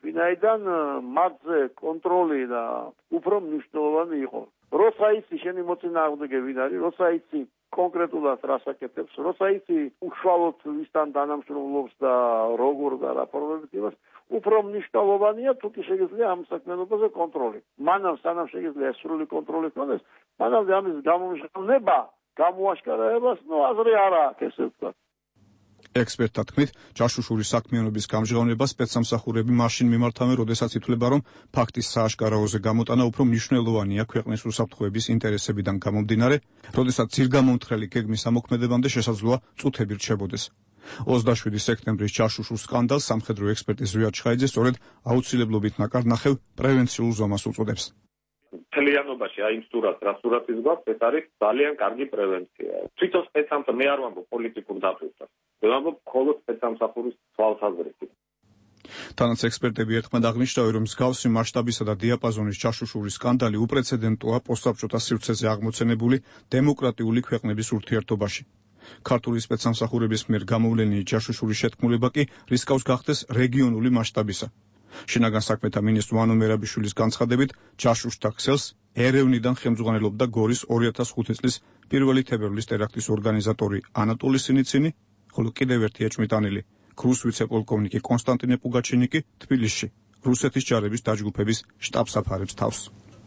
ვინაიდან მათზე კონტროლი და უფრო მნიშვნელოვანი იყო. როცა იცი შენი მოწინააღმდეგე ვინ არის, როცა იცი კონკრეტულად რას აკეთებს, როცა იცი უშუალოდ ვისთან თანამშრომლობს და როგორ და რა პრობლემები აქვს, უფრო მნიშვნელოვანია თუკი შეიძლება ამ საქმიანობაზე კონტროლი. მანამ სანამ შეიძლება სრული კონტროლი ქონდეს, მანამდე ამის გამომჟღავნება, გამოაშკარებას, აზრი არ აქვს, ესე ვთქვათ. ექსპერტთა თქმით, ჯაშუშური საქმიანობის გამჟღავნება სპეცსამსახურები მაშინ მიმართავენ, როდესაც ითვლება, რომ ფაქტის სააშკარაოზე გამოტანა უფრო მნიშვნელოვანია ქვეყნის უსაფრთხოების ინტერესებიდან გამომდინარე, როდესაც ძირგამომთხრელი გეგმის ამოქმედებამდე შესაძლოა წუთები რჩებოდეს. 27 სექტემბრის ჯაშუშურ სკანდალს სამხედრო ექსპერტი ზვიად ჩხაიძე სწორედ აუცილებლობით ნაკარნახევ პრევენციულ ზომას უწოდებს. მთლიანობაში აი იმ სურათს, რა სურათის გვაქვს, ეს არის ძალიან კარგი პრევენცია. თვითონ სპეცსამსახური მე არ ვამბობ პოლიტიკურ დაფუძნებას. ვამბობ მხოლოდ სპეცსამსახურის თვალსაზრისით. თანაც ექსპერტები ერთხმად აღნიშნავენ, რომ მსგავსი მასშტაბისა და დიაპაზონის ჯაშუშური სკანდალი უპრეცედენტოა პოსტსაბჭოთა სივრცეზე აღმოცენებული დემოკრატიული ქვეყნების ურთიერთობაში. ქართული სპეცსამსახურების მიერ გამოვლენილი ჯაშუშური შეთქმულება კი რისკავს გახდეს რეგიონული მასშტაბისა. შინაგან საქმეთა მინისტრ ვანო მერაბიშვილის განცხადებით, ჯაშუშთა ქსელს ერევნიდან ხელმძღვანელობდა გორის 2005 წლის 1 თებერვლის ტერაქტის ორგანიზატორი ანატოლი სინიცინი, ხოლო კიდევ ერთი ეჭვმიტანილი ქრუს ვიცე-პოლკოვნიკი კონსტანტინე პუგაჩინიკი თბილისში რუსეთის ჯარების დაჯგუფების შტაბ-საფარებს თავს.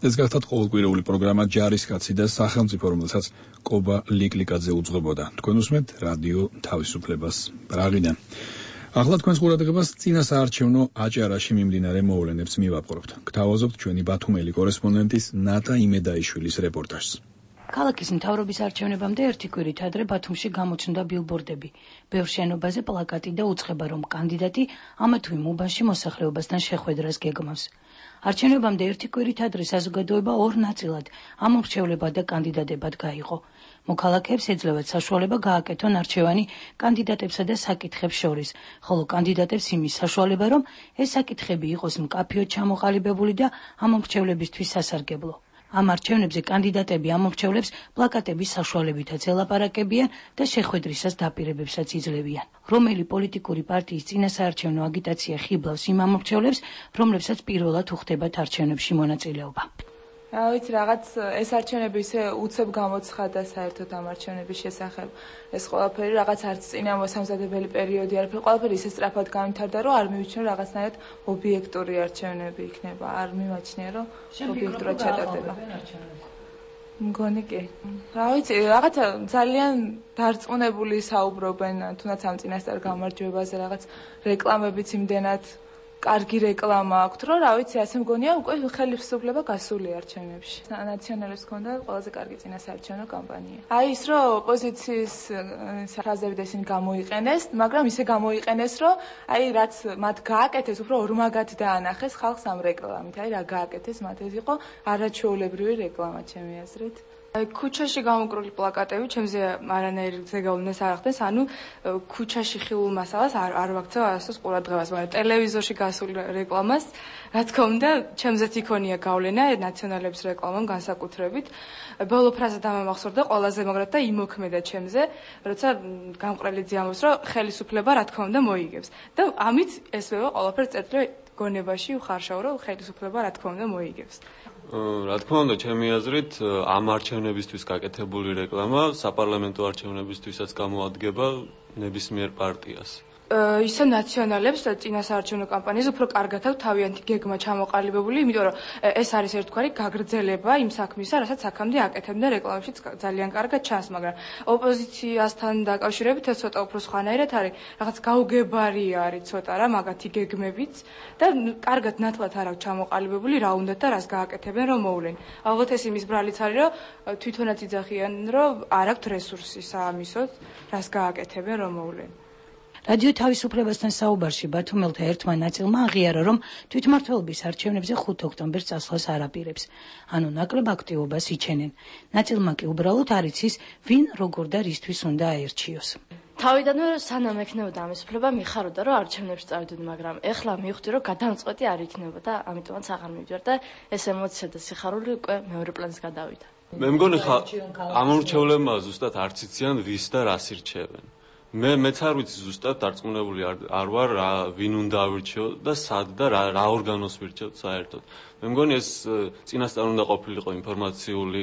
ეს გახლავთ ყოველკვირეული პროგრამა ჯარისკაცი და სახელმწიფო, რომელსაც კობა ლიკლიკაძე უძღვებოდა. თქვენ უსმენთ რადიო თავისუფლებას პრაღიდან. ახლა თქვენს ყურადღებას წინასაარჩევნო აჭარაში მიმდინარე მოვლენებს მივაპყრობთ. გთავაზობთ ჩვენი ბათუმელი კორესპონდენტის ნატა იმედაიშვილის რეპორტაჟს. ქალაქის მთავრობის არჩევნებამდე ერთი კვირით ადრე ბათუმში გამოჩნდა ბილბორდები. ბევრ შენობაზე პლაკატი და უწყება, რომ კანდიდატი ამა თუ იმ უბანში მოსახლეობასთან შეხვედრას გეგმავს. არჩევნებამდე ერთი კვირით ადრე საზოგადოება ორ ნაწილად ამომრჩევლებად და კანდიდატებად გაიყო. მოქალაქეებს ეძლევათ საშუალება გააკეთონ არჩევანი კანდიდატებსა და საკითხებს შორის, ხოლო კანდიდატებს იმის საშუალება, რომ ეს საკითხები იყოს მკაფიოდ ჩამოყალიბებული და ამომრჩევლებისთვის სასარგებლო. ამ არჩევნებზე კანდიდატები ამომრჩევლებს პლაკატების საშუალებითაც ელაპარაკებიან და შეხვედრისას დაპირებებსაც იძლევიან. რომელი პოლიტიკური პარტიის წინასაარჩევნო აგიტაცია ხიბლავს იმ ამომრჩევლებს, რომლებსაც პირველად უხდებათ არჩევნებში მონაწილეობა. ვიცი, რაღაც ეს არჩევნები ისე უცებ გამოცხადა საერთოდ ამ არჩევნების შესახებ. ეს ყველაფერი რაღაც არც წინამოსამზადებელი პერიოდი არაფერი, ყველაფერი ისე სწრაფად გამვითარდა, რომ არ მივიჩნევ რაღაცნაირად ობიექტური არჩევნები იქნება. არ მიმაჩნია, რომ ობიექტურად ჩატარდება. მგონი კი. რა ვიცი, რაღაცა ძალიან დარწმუნებული საუბრობენ, თუნდაც ამ წინასწარ გამარჯვებაზე, რაღაც რეკლამებიც იმდენად კარგი რეკლამა აქვს, რომ რა ვიცი, ასე მგონია, უკვე ხელისუფლება გასული არჩევნებში. ნაციონალებს ჰქონდა ყველაზე კარგი წინასაარჩევნო კამპანია. აი ის, რომ ოპოზიციის ფრაზები და ისინი გამოიყენეს, მაგრამ ისე გამოიყენეს, რომ აი რაც მათ გააკეთეს, უფრო ორმაგად დაანახეს ხალხს ამ რეკლამით. აი რა გააკეთეს მათ, ეს იყო არაჩვეულებრივი რეკლამა, ჩემი აზრით. ქუჩაში გამოკრული პლაკატები ჩემზე არანაირ ზეგავლენას არ ახდენს, ანუ ქუჩაში ხილულ მასალას არ ვაქცევ არასდროს ყურადღებას, მაგრამ ტელევიზორში გასულ რეკლამას, რა თქმა უნდა, ჩემზეც იქონია გავლენა ნაციონალების რეკლამამ განსაკუთრებით. ბოლო ფრაზა დამამახსოვრდა ყველაზე მაგრად და იმოქმედა ჩემზე, როცა გამყრელიძე ამბობს, რომ ხელისუფლება რა თქმა უნდა მოიგებს. და ამით ესვევა ყველაფერს წერტილ გონებაში უხარშავ, რომ ხელისუფლება რა თქმა უნდა მოიგებს. რა თქმა უნდა, ჩემი აზრით, ამ არჩევნებისთვის გაკეთებული რეკლამა საპარლამენტო არჩევნებისთვისაც გამოადგება ნებისმიერ პარტიას. ისე ნაციონალებს წინასაარჩევნო კამპანიაზე უფრო კარგად აქვს თავიანთი გეგმა ჩამოყალიბებული, იმიტომ რომ ეს არის ერთგვარი გაგრძელება იმ საქმისა, რასაც აქამდე აკეთებდა რეკლამაშიც ძალიან კარგად ჩანს, მაგრამ ოპოზიციასთან დაკავშირებით ეს ცოტა უფრო სხვანაირად არის, რაღაც გაუგებარია არის ცოტა რა მაგათი გეგმებიც და კარგად ნათლად არ აქვს ჩამოყალიბებული რა უნდათ და რას გააკეთებენ რომ მოვლენ. ალბათ ეს იმის ბრალიც არის, რომ თვითონაც იძახიან, რომ არ აქვთ რესურსი საამისოდ, რას გააკეთებენ რომ მოვლენ. რადიო თავისუფლებასთან საუბარში ბათუმელთა ერთმა ნაწილმა აღიარა, რომ თვითმმართველობის არჩევნებზე 5 ოქტომბერს წასვლას არ აპირებს. ანუ ნაკლებ აქტივობას იჩენენ. ნაწილმა კი უბრალოდ არ იცის, ვინ როგორ და რისთვის უნდა აერჩიოს. თავიდანვე სანამ ექნებოდა ამის უფლება მიხაროდა, რომ არჩევნებში წავიდოდი, მაგრამ ეხლა მივხვდი, რომ გადამწყვეტი არ იქნებოდა, ამიტომაც აღარ მივდივარ და ეს ემოცია და სიხარული უკვე მეორე პლანს გადავიდა. მე მგონი ამორჩევლებმა ზუსტად არც იციან ვის და რას ირჩევენ. მეც არ ვიცი ზუსტად დარწმუნებული არ ვარ ვინ უნდა ავირჩიო და სად და რა ორგანოს ვირჩევთ საერთოდ. მე მგონი ეს წინასწარ უნდა ყოფილიყო ინფორმაციული,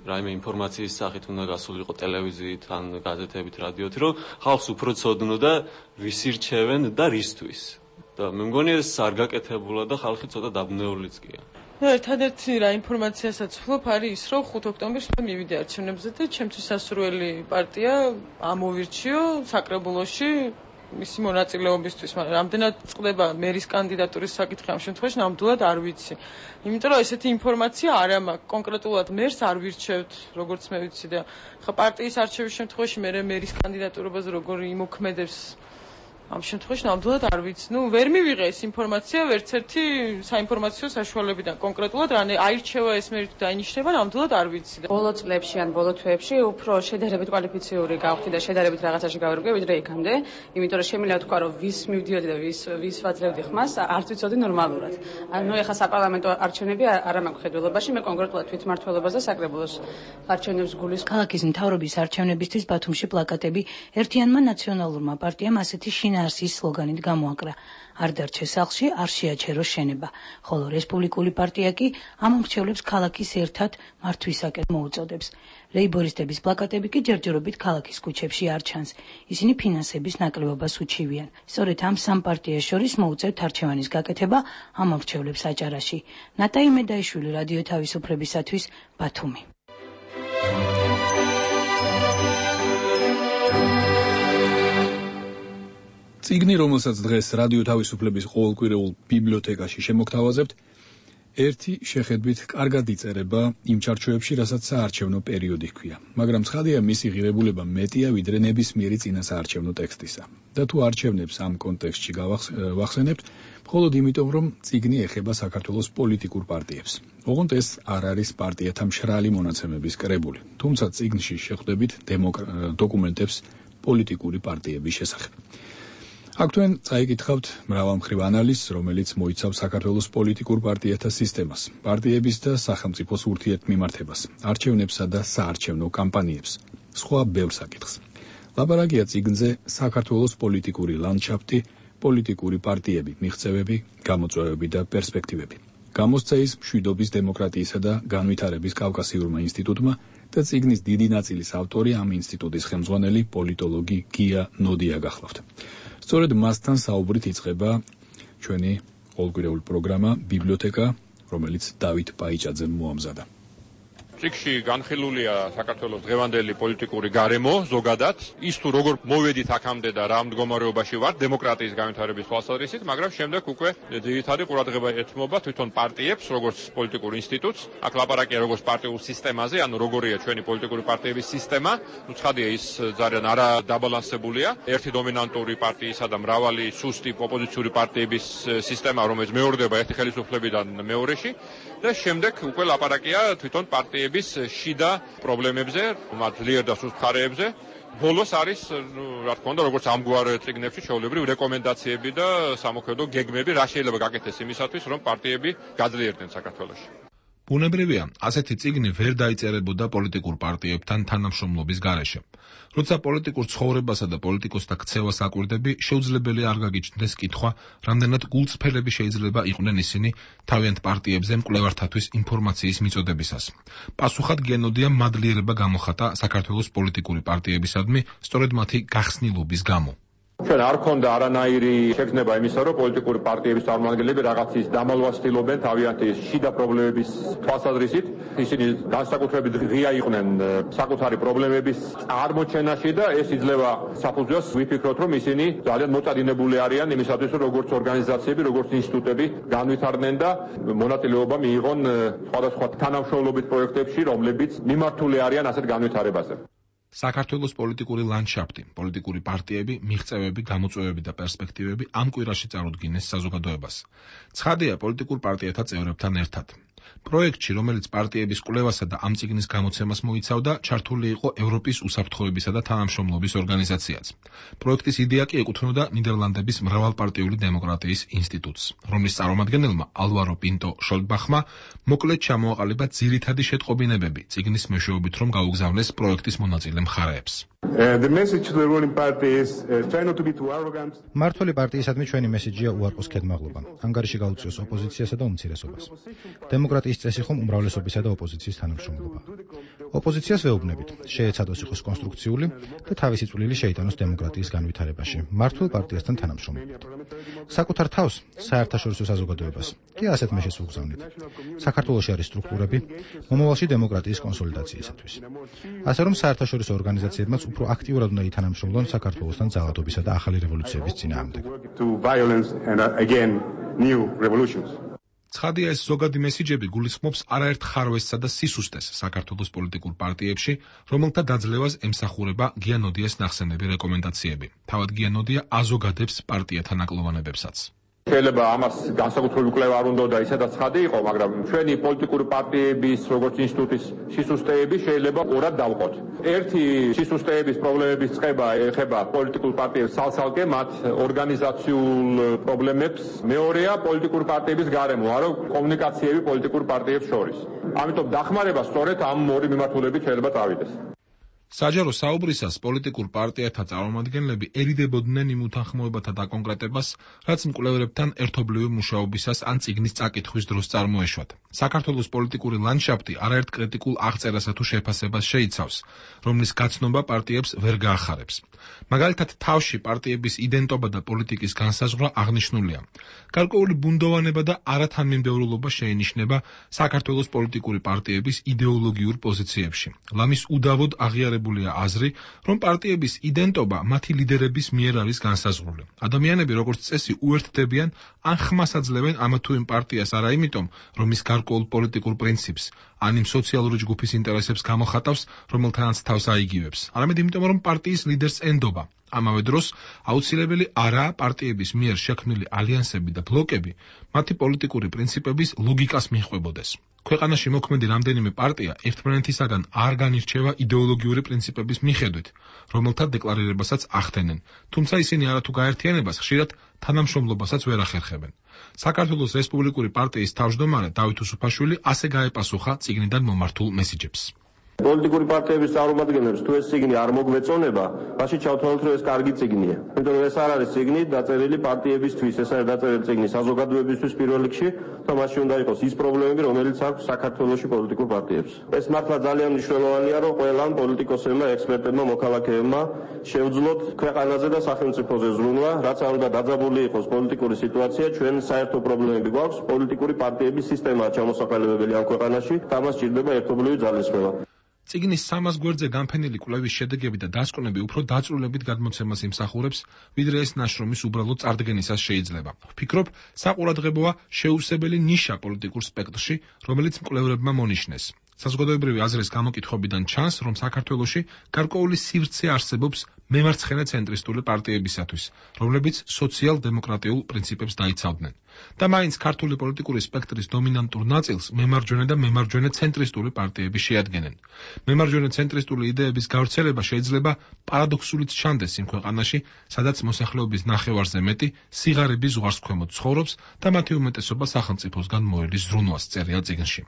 რაიმე ინფორმაციის სახით უნდა გასულიყო ტელევიზიით ან გაზეთებით, რადიოთი, რომ ხალხს უფრო ცოდნო და ვის ირჩევენ და რისთვის. და მე მგონი ეს არ გაკეთებულა და ხალხი ცოტა დაბნეულიც გია. ერთადერთი რა ინფორმაციასაც ვფლობ არის ის, რომ 5 ოქტომბერს მე მივიდე არჩევნებზე და ჩემთვის სასურველი პარტია ამოვირჩიო საკრებულოში მისი მონაწილეობისთვის, მაგრამ რამდენად წყდება მერის კანდიდატურის საკითხი ამ შემთხვევაში ნამდვილად არ ვიცი. იმიტომ რომ ესეთი ინფორმაცია არ მაქვს, კონკრეტულად მერს არ ვირჩევთ, როგორც მე ვიცი და ხა პარტიის არჩევის შემთხვევაში მე მერის კანდიდატურაზე როგორ იმოქმედებს ამ შემთხვევაში ნამდვილად არ ვიცი. ვერ მივიღე ეს ინფორმაცია ვერცერთი საინფორმაციო საშუალებიდან. კონკრეტულად რა აირჩევა ეს მერით დაინიშნება, ნამდვილად არ ვიცი. ბოლო წლებში ან ბოლო თვეებში უფრო შედარებით კვალიფიციური გავხდი და შედარებით რაღაცაში გავერგე ვიდრე იქამდე, იმიტომ რომ შემიძლია თქვა რომ ვის მივდიოდი და ვის ვაძლევდი ხმას, არც ვიცოდი ნორმალურად. ეხლა საპარლამენტო არჩევნები არ მაქვს ხედველობაში, მე კონკრეტულად თვითმმართველობას და საკრებულოს არჩევნებს გულის. ქალაქის მთავრობის არჩევნებისთვის ბათუმში პლაკატები ერთიანმა ნაციონალურმა პარტიამ ასეთი შინაარსის სლოგანით გამოაკრა. არ დარჩეს სახლში, არ შეაჩეროს შენება, ხოლო რესპუბლიკური პარტია კი ამ მრჩევლებს ქალაქის ერთად მართვისაკენ მოუწოდებს. ლეიბორისტების პლაკატები კი ჯერჯერობით ქალაქის ქუჩებში არ ჩანს. ისინი ფინანსების ნაკლებობას უჩივიან. სწორედ ამ სამ პარტიას შორის მოუწევთ არჩევანის გაკეთება ამ მრჩევლებს აჭარაში. ნატაი მედაიშვილი, რადიო თავისუფლებისათვის, ბათუმი. წიგნი, რომელსაც დღეს რადიო თავისუფლების ყოველკვირეულ ბიბლიოთეკაში შემოგთავაზებთ, ერთი შეხედვით კარგად იწერება იმ ჩარჩოებში, რასაც საარჩევნო პერიოდი ჰქვია. მაგრამ ცხადია, მისი ღირებულება მეტია ვიდრე ნებისმიერი წინასაარჩევნო ტექსტისა. და თუ არჩევნებს ამ კონტექსტში ვახსენებთ, მხოლოდ იმიტომ, რომ წიგნი ეხება საქართველოს პოლიტიკურ პარტიებს. ოღონდ ეს არ არის პარტიათა მშრალი მონაცემების კრებული, თუმცა წიგნში შეხვდებით დოკუმენტებს პოლიტიკური პარტიების შესახებ. აქ თქვენ წაიკითხავთ მრავალმხრივ ანალიზს, რომელიც მოიცავს საქართველოს პოლიტიკურ პარტიათა სისტემას, პარტიების და სახელმწიფოს ურთიერთმიმართებას, არჩევნებსა და საარჩევნო კამპანიებს, სხვა ბევრ საკითხს. ლაპარაკია წიგნზე საქართველოს პოლიტიკური ლანდშაფტი, პოლიტიკური პარტიები, მიღწევები, გამოწვევები და პერსპექტივები. გამოსცეის მშვიდობის, დემოკრატიისა და განვითარების კავკასიურმა ინსტიტუტმა და წიგნის დიდი ნაწილის ავტორი ამ ინსტიტუტის ხელმძღვანელი პოლიტოლოგი გია ნოდია გახლავთ. სწორედ მასთან საუბრით იწყება ჩვენი ყოველკვირეული პროგრამა ბიბლიოთეკა, რომელიც დავით პაიჭაძემ მოამზადა. წიგნში განხილულია საქართველოს დღევანდელი პოლიტიკური გარემო ზოგადად, ის თუ როგორ მოვედით აქამდე და რა მდგომარეობაში ვართ დემოკრატიის განვითარების თვალსაზრისით, მაგრამ შემდეგ უკვე ძირითადი ყურადღება ეთმობა თვითონ პარტიებს, როგორც პოლიტიკურ ინსტიტუტს. აქ ლაპარაკია როგორც პარტიულ სისტემაზე, ანუ როგორია ჩვენი პოლიტიკური პარტიების სისტემა. ცხადია, ის ძალიან არადაბალანსებულია. ერთი დომინანტური პარტიისა და მრავალი სუსტი ოპოზიციური პარტიების სისტემა, რომელიც მეორდება ერთი ხელისუფლებიდან მეორეში და შემდეგ უკვე ლაპარაკია თვითონ პარტიების შიდა პრობლემებზე, მათ ძლიერ და სუსტ მხარეებზე. ბოლოს არის, რა თქმა უნდა, როგორც ამგვარ წიგნებში ჩვეულებრივ რეკომენდაციები და სამოქმედო გეგმები, რა შეიძლება გაკეთდეს იმისათვის, რომ პარტიები გაძლიერდნენ საქართველოში. ბუნებრივია, ასეთი წიგნი ვერ დაიწერებოდა პოლიტიკურ პარტიებთან თანამშრომლობის გარეშე. როცა პოლიტიკურ ცხოვრებასა და პოლიტიკოსთა ქცევას აკვირდები, შეუძლებელია არ გაგიჩნდეს კითხვა, რამდენად გულწრფელები შეიძლება იყვნენ ისინი თავიანთ პარტიებზე მკვლევართათვის ინფორმაციის მიწოდებისას. პასუხად გენოდია მადლიერება გამოხატა საქართველოს პოლიტიკური პარტიებისადმი, სწორედ მათი გახსნილობის გამო. ჩვენ არ ქონდა არანაირი შეგრძნება იმისა, რომ პოლიტიკური პარტიების წარმომადგენლები რაღაცის დამალვას ცდილობენ თავიანთი შიდა პრობლემების თვალსაზრისით. ისინი განსაკუთრებით ღია იყვნენ საკუთარი პრობლემების წარმოჩენაში და ეს იძლევა საფუძველს ვიფიქროთ, რომ ისინი ძალიან მოწადინებული არიან იმისათვის, რომ როგორც ორგანიზაციები, როგორც ინსტიტუტები განვითარდნენ და მონაწილეობა მიიღონ სხვადასხვა თანამშრომლობით პროექტებში, რომლებიც მიმართული არიან ასეთ განვითარებაზე. საქართველოს პოლიტიკური ლანდშაფტი, პოლიტიკური პარტიები, მიღწევები, გამოწვევები და პერსპექტივები ამ კვირაში წარუდგინეს საზოგადოებას. ცხადია, პოლიტიკურ პარტიათა წევრებთან ერთად. პროექტში, რომელიც პარტიების კვლევასა და ამ წიგნის გამოცემას მოიცავდა, ჩართული იყო ევროპის უსაფრთხოებისა და თანამშრომლობის ორგანიზაციაც. პროექტის იდეა კი ეკუთვნოდა ნიდერლანდების მრავალპარტიული დემოკრატიის ინსტიტუტს, რომლის წარმომადგენელმა ალვარო პინტო შოლდბახმა მოკლედ ჩამოაყალიბა ძირითადი შეტყობინებები წიგნის მეშვეობით, რომ გაუგზავნეს პროექტის მონაწილე მხარეებს. მმართველი პარტიისადმი ჩვენი მესიჯია უარყოს ქედმაღლობა, ანგარიში გაუწიოს ოპოზიციასა და უმცირესობას. დემოკრატიის წესი ხომ უმრავლესობისა და ოპოზიციის თანამშრომლობა. ოპოზიციას ვეუბნებით, შეეცადოს იყოს კონსტრუქციული და თავისი წვლილი შეიტანოს დემოკრატიის განვითარებაში, მმართველ პარტიასთან თანამშრომლობით. საკუთარ თავს, საერთაშორისო საზოგადოებას კი ასეთ მეშეს უგზავნით. საქართველოში არის სტრუქტურები მომავალში დემოკრატიის კონსოლიდაციისათვის. ასე რომ საერთაშორისო ორგანიზაციებმაც უფრო აქტიურად უნდა ითანამშრომლონ საქართველოსთან ძალადობისა და ახალი რევოლუციების წინააღმდეგ. ცხადია, ეს ზოგადი მესიჯები გულისხმობს არაერთ ხარვესსა და სისუსტეს საქართველოს პოლიტიკურ პარტიებში, რომელთა დაძლევას ემსახურება გიანოდიას ნახსენები რეკომენდაციები. თავად გიანოდია აზოგადებს პარტიათა ნაკლოვანებებსაც. შეიძლება ამას განსაკუთრებული კვლევა არ უნდა და ისედაც ცხადი იყო, მაგრამ ჩვენი პოლიტიკური პარტიების როგორც ინსტიტუტის სისუსტეები შეიძლება ორად დავყოთ. ერთი სისუსტეების პრობლემების წყება ეხება პოლიტიკურ პარტიებს სალსალკე, მათ ორგანიზაციულ პრობლემებს. მეორეა პოლიტიკური პარტიების გარემო, არა კომუნიკაციები პოლიტიკურ პარტიებს შორის. ამიტომ დახმარება სწორედ ამ ორი მიმართულებით შეიძლება წავიდეს. საჯარო საუბრისას პოლიტიკურ პარტიათა წარმომადგენლები ერიდებოდნენ იმ უთანხმოებათა დაკონკრეტებას, რაც მკვლევრებთან ერთობლივი მუშაობისას ან წიგნის წაკითხვის დროს წარმოეშვათ. საქართველოს პოლიტიკური ლანდშაფტი არაერთ კრიტიკულ აღწერასა თუ შეფასებას შეიცავს, რომლის გაცნობა პარტიებს ვერ გაახარებს. მაგალითად, თავში პარტიების იდენტობა და პოლიტიკის განსაზღვრა აღნიშნულია. გარკვეული ბუნდოვანება და არათანმიმდევრულობა შეინიშნება საქართველოს პოლიტიკური პარტიების იდეოლოგიურ პოზიციებში. ლამის უდავოდ აღიარებულია აზრი, რომ პარტიების იდენტობა მათი ლიდერების მიერ არის განსაზღვრული. ადამიანები როგორც წესი უერთდებიან ან ხმას აძლევენ ამა თუ იმ პარტიას არა იმიტომ, რომ ის გარკვეულ პოლიტიკურ პრინციპს ან იმ სოციალური ჯგუფის ინტერესებს გამოხატავს, რომელთანაც თავს აიგივებს, არამედ იმიტომ, რომ პარტიის ლიდერს ენდობა. ამავე დროს აუცილებელი არაა პარტიების მიერ შექმნილი ალიანსები და ბლოკები მათი პოლიტიკური პრინციპების ლოგიკას მიჰყვებოდეს. ქვეყანაში მოქმედი რამდენიმე პარტია ერთმანეთისაგან არ განირჩევა იდეოლოგიური პრინციპების მიხედვით, რომელთა დეკლარირებასაც ახდენენ, თუმცა ისინი არათუ გაერთიანებას ხშირად თანამშრომლობასაც ვერ ახერხებენ. საქართველოს რესპუბლიკური პარტიის თავმჯდომარე დავით უსუფაშვილი ასე გაეპასუხა წიგნიდან მომართულ მესიჯებს. პოლიტიკური პარტიების წარმომადგენლებს თუ ეს წიგნი არ მოგვეწონება, მაშინ ჩავთვალოთ, რომ ეს კარგი წიგნია. იმიტომ რომ ეს არ არის წიგნი დაწერილი პარტიებისთვის, ეს არის დაწერილი წიგნი საზოგადოებისთვის პირველ რიგში, და მაშინ უნდა იყოს ის პრობლემები, რომელიც აქვს საქართველოში პოლიტიკურ პარტიებს. ეს მართლა ძალიან მნიშვნელოვანია, რომ ყველა პოლიტიკოსებმა, ექსპერტებმა, მოქალაქეებმა შევძლოთ ქვეყანაზე და სახელმწიფოზე ზრუნვა, რაც არ უნდა დაძაბული იყოს პოლიტიკური სიტუაცია, ჩვენ საერთო პრობლემები გვაქვს, პოლიტიკური პარტიების სისტემაა ჩამოსაყალიბებელი ამ ქვეყანაში, და მას სჭირდება ერთობლივი ძალისხმევა. წიგნის 300 გვერდზე განფენილი კვლევის შედეგები და დასკვნები უფრო დაწვრილებით გადმოცემას იმსახურებს, ვიდრე ეს ნაშრომის უბრალოდ წარდგენისას შეიძლება. ვფიქრობ, საყურადღებოა შეუსებელი ნიშა პოლიტიკურ სპექტრში, რომელიც მკვლევრებმა მონიშნეს. საზოგადოებრივი აზრის გამოკითხვებიდან ჩანს, რომ საქართველოში გარკვეული სივრცე არსებობს მემარცხენე ცენტრისტული პარტიებისათვის, რომლებიც სოციალ-დემოკრატიულ პრინციპებს დაიცავდნენ. და მაინც ქართული პოლიტიკური სპექტრის დომინანტურ ნაწილს მემარჯვენე და მემარჯვენე ცენტრისტული პარტიები შეადგენენ. მემარჯვენე ცენტრისტული იდეების გავრცელება შეიძლება პარადოქსულიც ჩანდეს იმ ქვეყანაში, სადაც მოსახლეობის ნახევარზე მეტი სიღარიბის ზღვარსქვემოთ ცხოვრობს და მათი უმეტესობა სახელმწიფოსგან მოელის ზრუნვას, წერია წიგნში.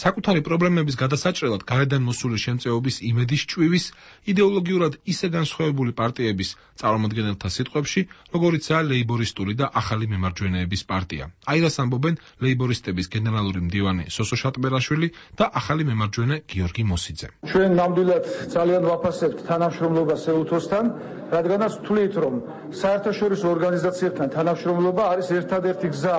საკუთარი პრობლემების გადასაჭრელად გარედან მოსული შემწეობის იმედის ჭვივის იდეოლოგიურად ისე განსხვავებული პარტიების წარმომადგენელთა სიტყვებში, როგორიცაა ლეიბორისტული და ახალი მემარჯვენეების პარტია. აირას ამბობენ ლეიბორისტების გენერალური მდივანი სოსო შატბერაშვილი და ახალი მემარჯვენე გიორგი მოსიძე. ჩვენ ნამდვილად ძალიან ვაფასებთ თანამშრომლობას ეუთოსთან, რადგანაც ვთვლით, რომ საერთაშორისო ორგანიზაციებთან თანამშრომლობა არის ერთადერთი გზა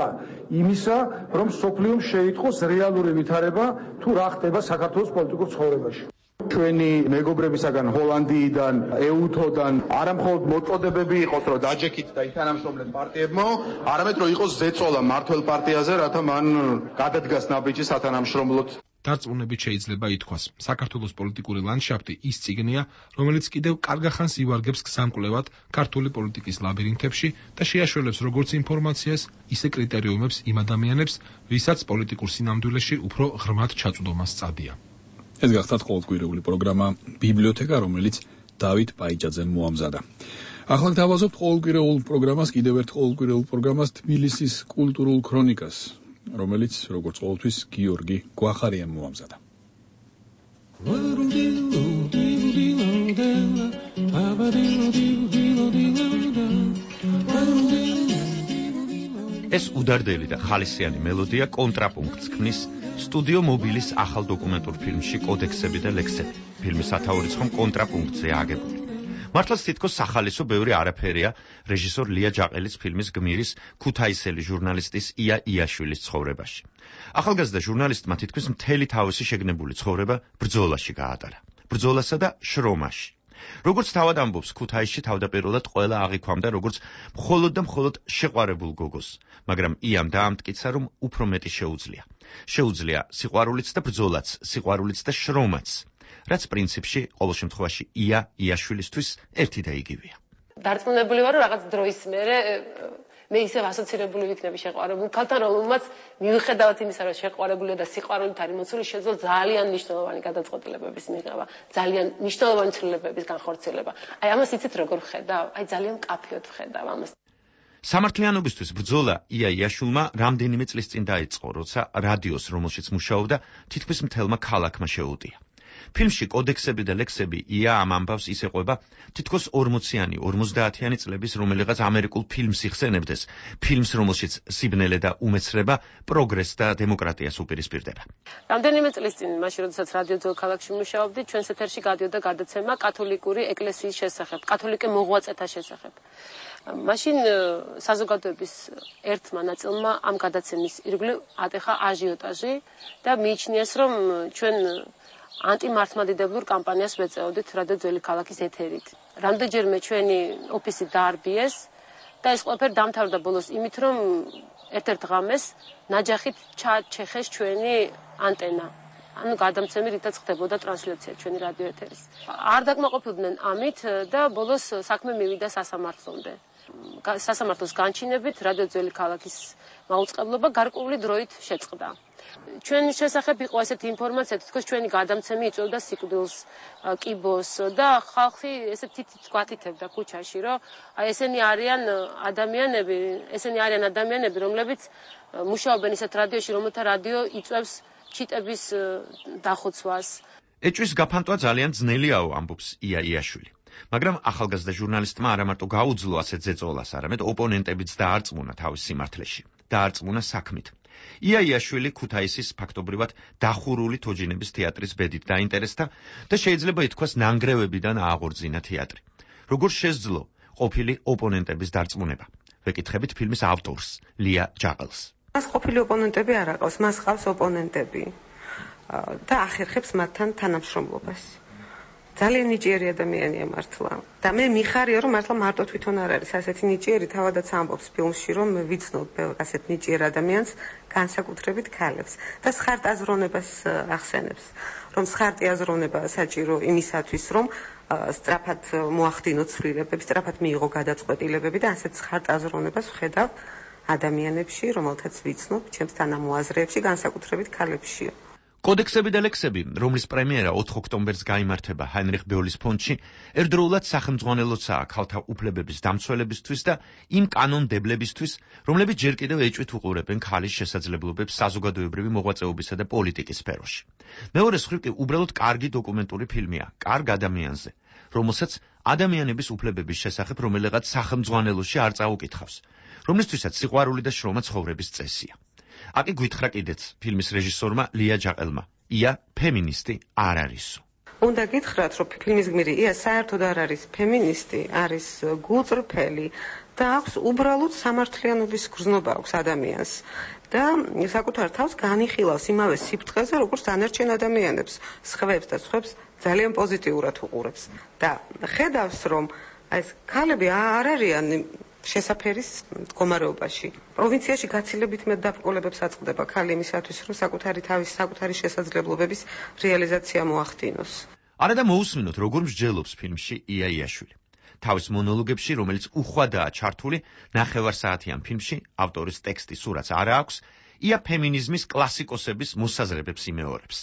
იმისა, რომ სოფლიომ შეიტყოს რეალური ვითარება თუ რა ხდება საქართველოს პოლიტიკურ ცხოვრებაში. ჩვენი მეგობრებისაგან ჰოლანდიიდან, ეუთოდან არამხოლოდ მოწოდებები იყოს, რომ დაჯექით და ითანამშრომლეთ პარტიებმა, არამედ რომ იყოს ზეწოლა მართველ პარტიაზე, რათა მან გადადგას ნაბიჯი სათანამშრომლოდ. დარწმუნებით შეიძლება ითქვას, საქართველოს პოლიტიკური ლანდშაფტი ის წიგნია, რომელიც კიდევ კარგახანს ივარგებს გზამკვლევად ქართული პოლიტიკის ლაბირინთებში და შეაშველებს როგორც ინფორმაციას, ისე კრიტერიუმებს იმ ადამიანებს, ვისაც პოლიტიკურ სინამდვილეში უფრო ღრმად ჩაწვდომა სწადია. ეს გახდათ ყოველკვირეული პროგრამა ბიბლიოთეკა, რომელიც დავით პაიჭაძემ მოამზადა. ახლა დავაზობთ ყოველკვირეულ პროგრამას, კიდევ ერთ ყოველკვირეულ პროგრამას თბილისის კულტურულ ქრონიკას, რომელიც როგორც ყოველთვის გიორგი გვახარიამ მოამზადა. ეს უდარდელი და ხალისიანი მელოდია კონტრაპუნქტს ქმნის სტუდიო მობილის ახალ დოკუმენტურ ფილმში კოდექსები და ლექსები. ფილმის სათაურის ხომ კონტრაპუნქტზეა აგებული. მართლაც თითქოს სახალისო ბევრი არაფერია რეჟისორ ლია ჯაყელის ფილმის გმირის ქუთაისელი ჟურნალისტის ია იაშვილის ცხოვრებაში. ახალგაზრდა ჟურნალისტმა თითქმის მთელი თავისი შეგნებული ცხოვრება ბრძოლაში გაატარა. ბრძოლასა და შრომაში. როგორც თავად ამბობს, ქუთაისში თავდაპირველად ყველა აღიქვამდა როგორც მხოლოდ და მხოლოდ შეყვარებულ გოგოს, მაგრამ იამ დაამტკიცა, რომ უფრო მეტი შეუძლია. შეუძლია სიყვარულიც და ბრძოლაც, სიყვარულიც და შრომაც, რაც პრინციპში ყოველ შემთხვევაში იაშვილისთვის ერთი და იგივეა. დარწმუნებული ვარ, რომ რაღაც დროის მერე მე ისევ ასოცირებული ვიქნები შეყვარებულ ქალთან, რომელმაც მიუხედავად იმისა, რომ შეყვარებულია და სიყვარულით არის მოცული, შეძლო ძალიან მნიშვნელოვანი გადაწყვეტილებების მიღება, ძალიან მნიშვნელოვანი ცვლილებების განხორციელება. აი ამას იცით როგორ ვხედავ? აი ძალიან მკაფიოდ ვხედავ ამას. სამართლიანობისთვის ბრძოლა იაშვილმა რამდენიმე წლის წინ დაიწყო, როცა რადიოს, რომელშიც მუშაობდა, თითქმის მთელმა ქალაქმა შეუტია. ფილმში კოდექსები და ლექსები ია ამ ამბავს ის ეყვება თითქოს 40-იანი, 50-იანი წლების რომელიღაც ამერიკულ ფილმს იხსენებდეს, ფილმს, რომელშიც სიბნელე და უმეცრება, პროგრესს და დემოკრატიას უპირისპირდება. რამდენიმე წლის წინ, მაშინ როდესაც რადიო ძველ ქალაქში მუშაობდი, ჩვენს ეთერში გადიოდა გადაცემა კათოლიკური ეკლესიის შესახებ, კათოლიკე მოღვაწეთა შესახებ. მაშინ საზოგადოების ერთმა ნაწილმა ამ გადაცემის ირგვლივ ატეხა აჟიოტაჟი და მიიჩნიეს, რომ ჩვენ ანტიმართლმადიდებლურ კამპანიას ვეწეოდით რადიო ძველი ქალაქის ეთერით. რამდენჯერმე ჩვენი ოფისი დაარბიეს და ეს ყველაფერი დამთავრდა ბოლოს იმით, რომ ერთ-ერთ ღამეს ნაჯახით ჩაჩეხეს ჩვენი ანტენა. ანუ გადამცემი რითაც ხდებოდა ტრანსლაცია ჩვენი რადიო ეთერის. არ დაკმაყოფილდნენ ამით და ბოლოს საქმე მივიდა სასამართლომდე. სასამართლოს განჩინებით რადიო ძველი ქალაქის მაუწყებლობა გარკვეული დროით შეწყდა. ჩვენ შესახებ იყო ესეთი ინფორმაცია, თითქოს ჩვენი გადამცემი იწვევდა სიკვდილს, კიბოს და ხალხი ესე თითიც გვათითებდა ქუჩაში, რომ აი ესენი არიან ადამიანები, რომლებიც მუშაობენ ისეთ რადიოში, რომელთა რადიო იწვევს ჩიტების დახოცვას. ეჭვის გაფანტვა ძალიან ძნელიაო, ამბობს იაშვილი. მაგრამ ახალგაზრდა ჟურნალისტმა არა მარტო გაუძლო ასეთ ზეწოლას, არამედ ოპონენტებიც დაარწმუნა თავის სიმართლეში, დაარწმუნა საქმით. იაშვილი ქუთაისის ფაქტობრივად დახურული თოჯინების თეატრის ბედით დაინტერესდა და შეიძლება ითქვას ნანგრევებიდან ააღორძინა თეატრი. როგორ შესძლო ყოფილი ოპონენტების დარწმუნება? ვეკითხებით ფილმის ავტორს, ლია ჯაყელს. მას ყოფილი ოპონენტები არ აყავს, მას ყავს ოპონენტები და ახერხებს მათთან თანამშრომლობას. ძალიან ნიჭიერი ადამიანია მართლა. და მე მიხარია, რომ მართლა მარტო თვითონ არ არის ასეთი ნიჭიერი, თავადაც ამბობს ფილმში, რომ მე ვიცნობ ასეთ ნიჭიერ ადამიანს, განსაკუთრებით ქალებს და სხარტ აზროვნებას ახსენებს. რომ სხარტი აზროვნება საჭირო იმისათვის, რომ სწრაფად მოახდინოს ცვლილებები, სწრაფად მიიღო გადაწყვეტილებები და ასეთ სხარტ აზროვნებას ვხედავ ადამიანებში, რომელთაც ვიცნობ, ჩემს თანამოაზრეებში, განსაკუთრებით ქალებშია. კოდექსები და ლექსები, რომლის პრემიერა 4 ოქტომბერს გაიმართება ჰაინრიხ ბეოლის ფონდში, ერთდროულად სახელმძღვანელოცაა ქალთა უფლებების დამცველებისთვის და იმ კანონმდებლებისთვის, რომლებიც ჯერ კიდევ ეჭვით უყურებენ ქალის შესაძლებლობებს საზოგადოებრივი მოღვაწეობისა და პოლიტიკის სფეროში. მეორე მხრივ კი უბრალოდ კარგი დოკუმენტური ფილმია, კარგ ადამიანზე, რომელსაც ადამიანების უფლებების შესახებ რომელიღაც სახელმძღვანელოში არ წაუკითხავს, რომლისთვისაც სიყვარული და შრომა ცხოვრების წესია. აკი გვითხრა კიდეც ფილმის რეჟისორმა ლია ჯაყელმა, ია ფემინისტი არ არისო. უნდა გითხრათ, რომ ფილმის გმირი ია საერთოდ არ არის ფემინისტი, არის გულწრფელი და აქვს უბრალოდ სამართლიანობის გრძნობა აქვს ადამიანს და საკუთარ თავს განიხილავს იმავე სიფრთხეზე, როგორც დანარჩენ ადამიანებს, სხვებს და სხვებს ძალიან პოზიტიურად უყურებს და ხედავს, რომ ეს ქალები არ არიან შესაფერის მდგომარეობაში. პროვინციაში გაცილებით მეტ დაბრკოლებებს აწყდება ქალი იმისათვის, რომ საკუთარი შესაძლებლობების რეალიზაცია მოახდინოს. არადა მოусმინოთ, როგორ მსჯელობს ფილმში იაშვილი. თავის მონოლოგებში, რომელიც უხვადაა ჩართული, ნახევარსაათიან ფილმში, ავტორის ტექსტი სურათს არ აქვს, ია ფემინიზმის კლასიკოსების მოსაზრებებს იმეორებს.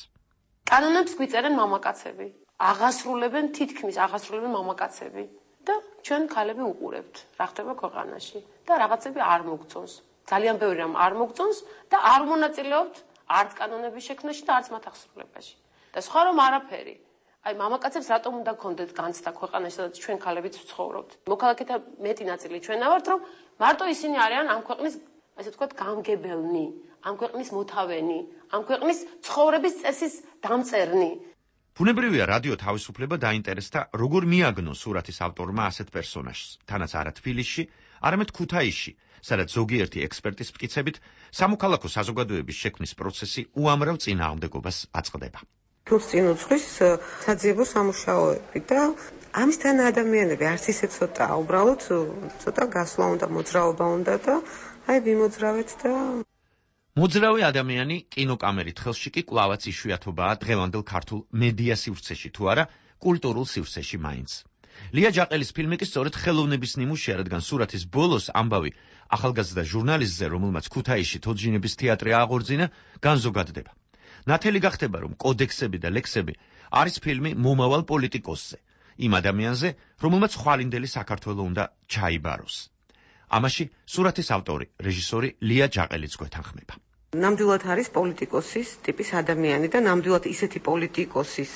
კანონებს გვიწერენ მამაკაცები, თითქმის აღასრულებენ მამაკაცები. და ჩვენ ქალები უყურებთ, რა ხდება ქვეყანაში და რაღაცები არ მოგწონს. ძალიან ბევრი რამ არ მოგწონს და არ მონაწილეობთ არც კანონების შექმნაში და არც მათ აღსრულებაში. და სხვა რომ არაფერი. აი მამაკაცებს რატომ უნდა გქონდეთ განცდა ქვეყანაში, სადაც ჩვენ ქალებიც ვცხოვრობთ. მოქალაქეთა მეტი ნაწილი ჩვენ ავართ, რომ მარტო ისინი არიან ამ ქვეყნის, ასე ვთქვათ, გამგებელნი, ამ ქვეყნის მოთავენი, ამ ქვეყნის ცხოვრების წესის დამწერნი. ბუნებრივია რადიო თავისუფლება დაინტერესდა, როგორ მიაგნო სურათის ავტორმა ასეთ პერსონაჟს, თანაც არა თბილისში, არამედ ქუთაისში, სადაც ზოგიერთი ექსპერტის მტკიცებით, სამოქალაქო საზოგადოების შექმნის პროცესი უამრავ წინააღმდეგობას აწყდება. თულს წინ უძღვის საძიებო სამუშაოები და ამისთან ადამიანები არც ისე ცოტა, უბრალოდ ცოტა გასვლა უნდა, მოძრაობა უნდა და აი ვიმოძრავეთ და მოძრავი ადამიანი კინოკამერით ხელში კი კვლავაც იშვიათობაა დღევანდელ ქართულ მედია სივრცეში თუ არა კულტურულ სივრცეში მაინც. ლია ჯაყელის ფილმი კი სწორედ ხელოვნების ნიმუშია, რადგან სურათის ბოლოს ამბავი ახალგაზრდა ჟურნალისტზე, რომელმაც ქუთაისში თოჯინების თეატრი აღორძინა, განზოგადდება. ნათელი გახდება, რომ კოდექსები და ლექსები არის ფილმი მომავალ პოლიტიკოსზე, იმ ადამიანზე, რომელმაც ხვალინდელი საქართველო უნდა ჩაიბაროს. ამაში სურათის ავტორი, რეჟისორი ლია ჯაყელიც გვეთანხმება. ნამდვილად არის პოლიტიკოსის ტიპის ადამიანი და ნამდვილად ისეთი პოლიტიკოსის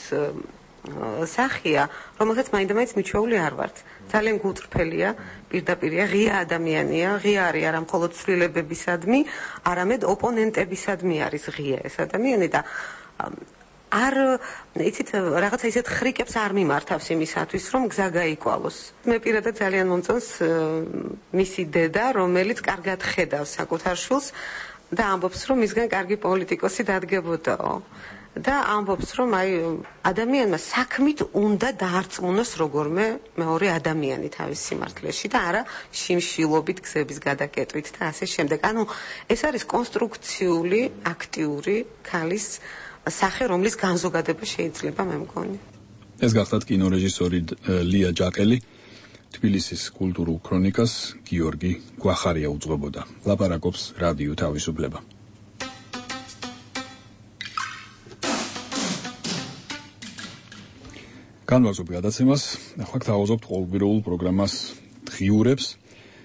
სახია, რომელსაც მაინდა-მაინც მიჩვეული არ ვართ. ძალიან გულწრფელია, პირდაპირია, ღია ადამიანია, ღია არის არა მხოლოდ ცვლილებებისადმი, არამედ ოპონენტებისადმი არის ღია ეს ადამიანი და არ იცით რაღაცა ისეთ ხრიკებს არ მიმართავს იმისათვის, რომ გზა გაიკვალოს. მე პირადად ძალიან მომწონს მისი დედა, რომელიც კარგად ხედავს საკუთარ შვილს და ამბობს, რომ მისგან კარგი პოლიტიკოსი დადგებოდაო. და ამბობს, რომ აი ადამიანმა საქმით უნდა დაარწმუნოს როგორმე მეორე ადამიანი თავის სიმართლეში და არა შიმშილობით, გზების გადაკეტვით და ასე შემდეგ. ანუ ეს არის კონსტრუქციული, აქტიური ქალის სახე, რომლის განზოგადება შეიძლება მე მგონი. ეს გახლავთ კინორეჟისორი ლია ჯაყელი, თბილისის კულტურულ ქრონიკას გიორგი გვახარია უძღვებოდა. ლაპარაკობს რადიო თავისუფლება. განვაგზობ გადაცემას, ახლა გთავაზობთ ყოველკვირეულ პროგრამას დღიურებს.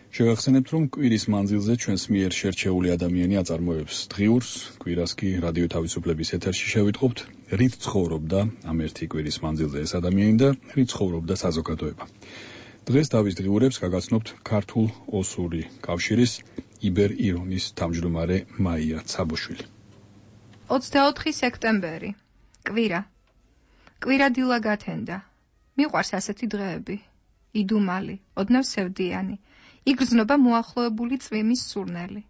შევახსენებთ, რომ კვირის მანძილზე ჩვენს მიერ შერჩეული ადამიანი აწარმოებს დღიურს, კვირას კი რადიო თავისუფლების ეთერში შევიტყობთ, რით ცხოვრობდა ამ ერთი კვირის მანძილზე ეს ადამიანი და რით ცხოვრობდა საზოგადოება. დღეს თავის დღიურებს გაგაცნობთ ქართულ ოსური კავშირის იბერ-ირონის თავმჯდომარე მაია ცაბოშვილი. 24 სექტემბერი. კვირა. კვირა დილა გათენდა. მიყვარს ასეთი დღეები. იდუმალი, ოდნავ სევდიანი. იგრძნობა მოახლოებული წვიმის სურნელი.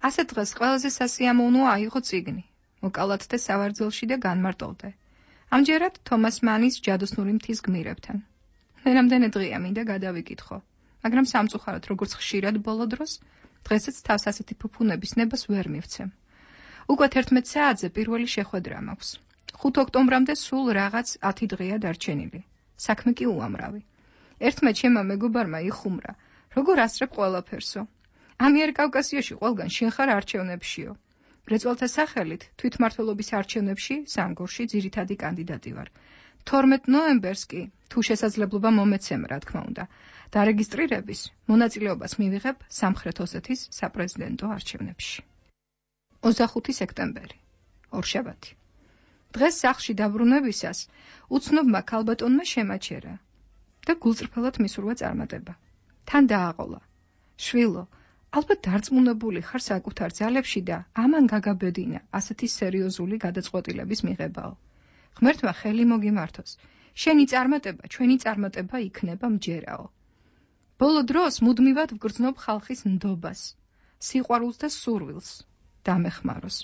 ასეთ დღეს ყველაზე სასიამოვნოა აიღო წიგნი, მოკალათდე სავარძელში და განმარტოვდე. ამჯერად თომას მანის ჯადოსნური მთის გმირებთან. მე რამდენი დღეა მინდა გადავიკითხო, მაგრამ სამწუხაროდ როგორც ხშირად ბოლო დროს, დღესაც თავს ასეთი ფუფუნების ნებას ვერ მივცემ. უკვე 11 საათზე პირველი შეხვედრა მაქვს. 5 ოქტომბრამდე სულ რაღაც 10 დღეა დარჩენილი. საქმე კი უამრავი. ერთმა ჩემმა მეგობარმა იხუმრა, როგორ ასწრებ ყველაფერსო. ამიერკავკასიაში ყველგან შენ ხარ არჩევნებშიო. მრეწველთა სახელით თვითმმართველობის არჩევნებში სამგორში ძირითადი კანდიდატი ვარ. 12 ნოემბერს კი, თუ შესაძლებლობა მომეცემ, რა თქმა უნდა, დარეგისტრირების მონაწილეობას მივიღებ სამხრეთ ოსეთის საპრეზიდენტო არჩევნებში. 25 სექტემბერი. ორშაბათი. დღეს სახლში დაბრუნებისას უცნობმა ქალბატონმა შემაჩერა და გულწრფელად მისურვა წარმატება. თან დააყოლა. შვილო, ალბათ დარწმუნებული ხარ საკუთარ ძალებში და ამან გაგაბედინა ასეთი სერიოზული გადაწყვეტილების მიღებაო. ღმერთმა ხელი მოგიმართოს. შენი წარმატება, ჩვენი წარმატება იქნება მჯერაო. ბოლო დროს მუდმივად ვგრძნობ ხალხის ნდობას, სიყვარულს და სურვილს დამეხმაროს.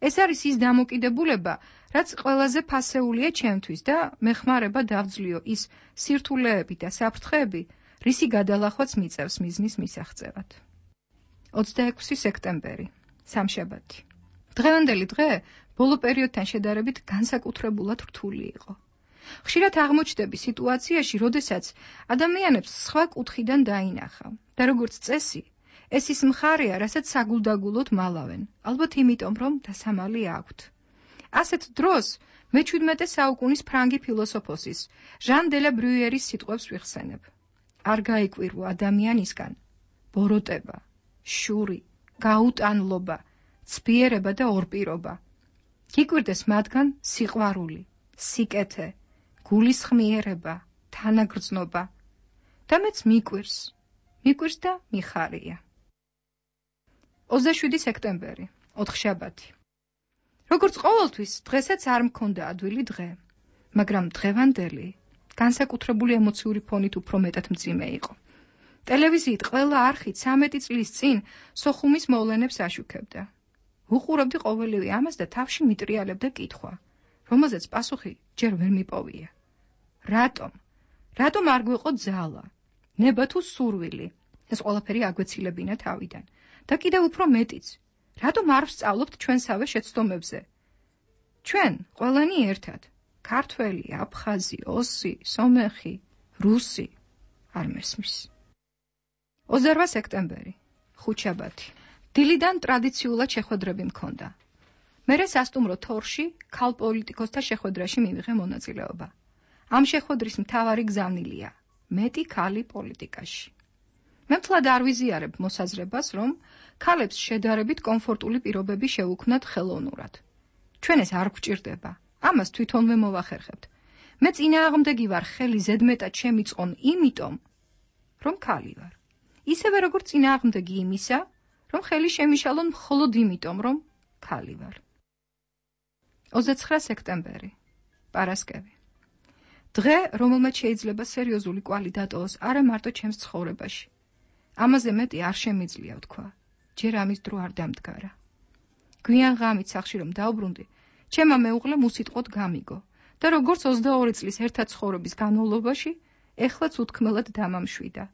ეს არის ის დამოკიდებულება, რაც ყველაზე ფასეულია ჩემთვის და მეხმარება დავძლიო ის სირთულეები და საფრთხეები, რისი გადალახვაც მიწევს მიზნის მისაღწევად. 26 სექტემბერი. სამშაბათი. დღევანდელი დღე ბოლო პერიოდთან შედარებით განსაკუთრებულად რთული იყო. ხშირად აღმოჩნდები სიტუაციაში, როდესაც ადამიანებს სხვა კუთხიდან დაინახავ და როგორც წესი, ეს ის მხარეა, რასაც საგულდაგულოდ მალავენ, ალბათ იმიტომ, რომ დასამალი აქვთ. ასეთ დროს მე-17 საუკუნის ფრანგი ფილოსოფოსის ჟან დე ლა ბრიუერის სიტყვებს ვიხსენებ. არ გაიკვირვა ადამიანისგან ბოროტება, შური, გაუტანლობა, ცბიერება და ორპირობა. გიკვირდეს მათგან სიყვარული, სიკეთე, გულისხმიერება, თანაგრძნობა. და მეც მიკვირს და მიხარია. 27 სექტემბერი, ოთხშაბათი. როგორც ყოველთვის, დღესაც არ მქონდა ადვილი დღე, მაგრამ დღევანდელი განსაკუთრებული ემოციური ფონით უფრო მეტად მძიმე იყო. ტელევიზიით ყველა არხით 13 წლის წინ სოხუმის მოვლენებს აშუქებდა. უყურებდი ყოველივე ამას და თავში მიტრიალებდა კითხვა, რომელზეც პასუხი ჯერ ვერ მიპოვია. რატომ არ გვიყო ძალა, ნება თუ სურვილი? ეს ყველაფერი აგვეცილებინა თავიდან. და კიდევ უფრო მეტიც, რატომ არ ვსწავლობთ ჩვენსავე შეცდომებზე? ჩვენ ყველანი ერთად, ქართველი, აფხაზი, ოსი, სომეხი, რუსი, არ მესმის. 28 სექტემბერი, ხუთშაბათი. დილიდან ტრადიციულად შეხვედრები მქონდა. მერე სასტუმრო თორში ქალ პოლიტიკოსთა შეხვედრაში მივიღე მონაწილეობა. ამ შეხვედრის მთავარი გზავნილია მეტი ქალი პოლიტიკაში. მე მთლად არ ვიზიარებ მოსაზრებას, რომ ქალებს შედარებით კომფორტული პირობები შეუქმნათ ხელოვნურად. ჩვენ ეს არ გვჭირდება, ამას თვითონვე მოვახერხებთ. მე წინააღმდეგი ვარ ხელი ზედმეტად შემიწყონ იმიტომ, რომ ქალი ვარ. ისევე როგორც წინააღმდეგი იმისა, რომ ხელი შემიშალონ მხოლოდ იმიტომ, რომ ქალი ვარ. 29 სექტემბერი, პარასკევი. დღე, რომელმაც შეიძლება სერიოზული კვალი დატოვოს არა მარტო ჩემს ცხოვრებაში. ამაზე მეტი არ შემიძლია ვთქვა, ჯერ ამის დრო არ დამდგარა. გვიან ღამით სახლში რომ დავბრუნდი, ჩემმა მეუღლემ უსიტყვოდ გამიგო და როგორც 22 წლის ერთად ცხოვრების განმავლობაში, ეხლაც უთქმელად დამამშვიდა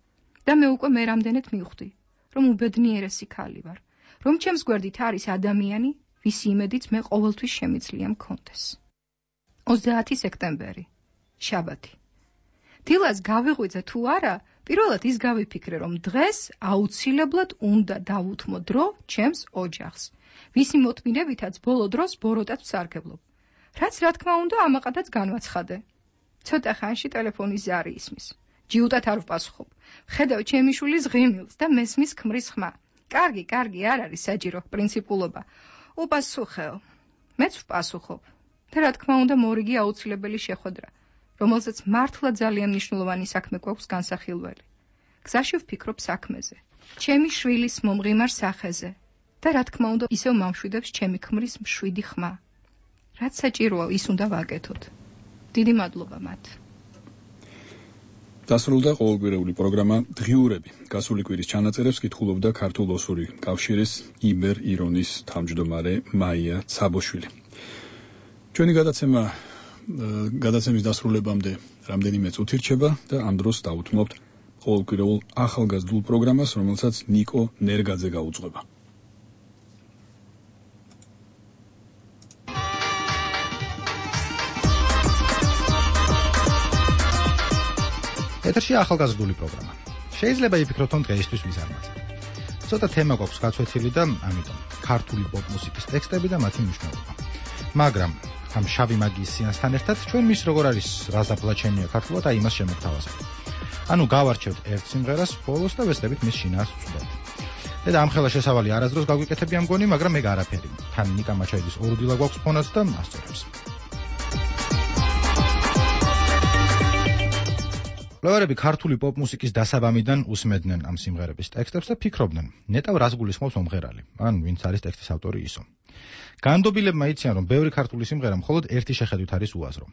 და მე უკვე მერამდენეთ მივხვდი, რომ უბედნიერესი ქალი ვარ, რომ ჩემს გვერდით არის ადამიანი, ვისი იმედიც მე ყოველთვის შემიძლია მქონდეს. 30 სექტემბერი, შაბათი. დილას გავიღვიძე თუ არა, პირველად ის გავიფიქრე, რომ დღეს აუცილებლად უნდა დავუთმო დრო ჩემს ოჯახს, ვისი მოთმინებითაც ბოლო დროს ბოროტად ვსარგებლობ. რაც რა თქმა უნდა ამაყადაც განვაცხადე. ცოტა ხანში ტელეფონის ზარი ისმის. ჯიუტად არ ვპასუხობ. ხედავ ჩემი შვილის ღიმილს და მესმის ქმრის ხმა. კარგი, არ არის საჭირო პრინციპულობა. უპასუხეო. მეც ვპასუხობ. და რა თქმა უნდა მორიგი აუცილებელი შეხვედრა, რომელზეც მართლა ძალიან მნიშვნელოვანი საქმე გვაქვს განსახილველი. გზაში ვფიქრობ საქმეზე, ჩემი შვილის მომღიმარ სახეზე და რა თქმა უნდა ისევ მომშვიდებს ჩემი ქმრის მშვიდი ხმა. რაც საჭიროა ის უნდა ვაკეთოთ. დიდი მადლობა მათ. დასრულდა ყოველკვირეული პროგრამა დღიურები. გასული კვირის ჩანაწერებს კითხულობდა ქართულ ოსური კავშირის იბერ ირონის თავმჯდომარე მაია ცაბოშვილი. ჩვენი გადაცემის დასრულებამდე რამდენიმე წუთი რჩება და ამ დროს დავუთმობთ ყოველკვირეულ ახალგაზრდულ პროგრამას, რომელსაც ნიკო ნერგაძე გაუძღვება. ეთერში ახალგაზრდული პროგრამა. შეიძლება იფიქროთ, რომ დღეისთვის ვიზარმაცებ. ცოტა თემა გვაქვს გაცვეთილი და ამიტომ ქართული პოპ მუსიკის ტექსტები და მათი მნიშვნელობა. მაგრამ ამ შავი მაგიის სიანსთან ერთად ჩვენ მის როგორ არის რაზაფლაჩენია ქართულად და იმას შემოგთავაზებთ. ანუ გავარჩევთ ერთ სიმღერას ბოლოს და ვესწრებით მის შინაარსს ვწვდეთ. და ამ ხელა შესავალი არასდროს გაგვიკეთებია მგონი, მაგრამ მე არაფერი. თან ნიკა მაჩაიძის ორუდილა გვაქვს ფონაც და ასწორებს. ლევარები ქართული პოპ მუსიკის დასაბამიდან უსმედნენ ამ სიმღერების ტექსტებს და ფიქრობდნენ, ნეტავ რას გულისხმობს მომღერალი, ან ვინც არის ტექსტის ავტორი ისო. განდობილებმა იციან, რომ ბევრი ქართული სიმღერა მხოლოდ ერთი შეხედვით არის უაზრო.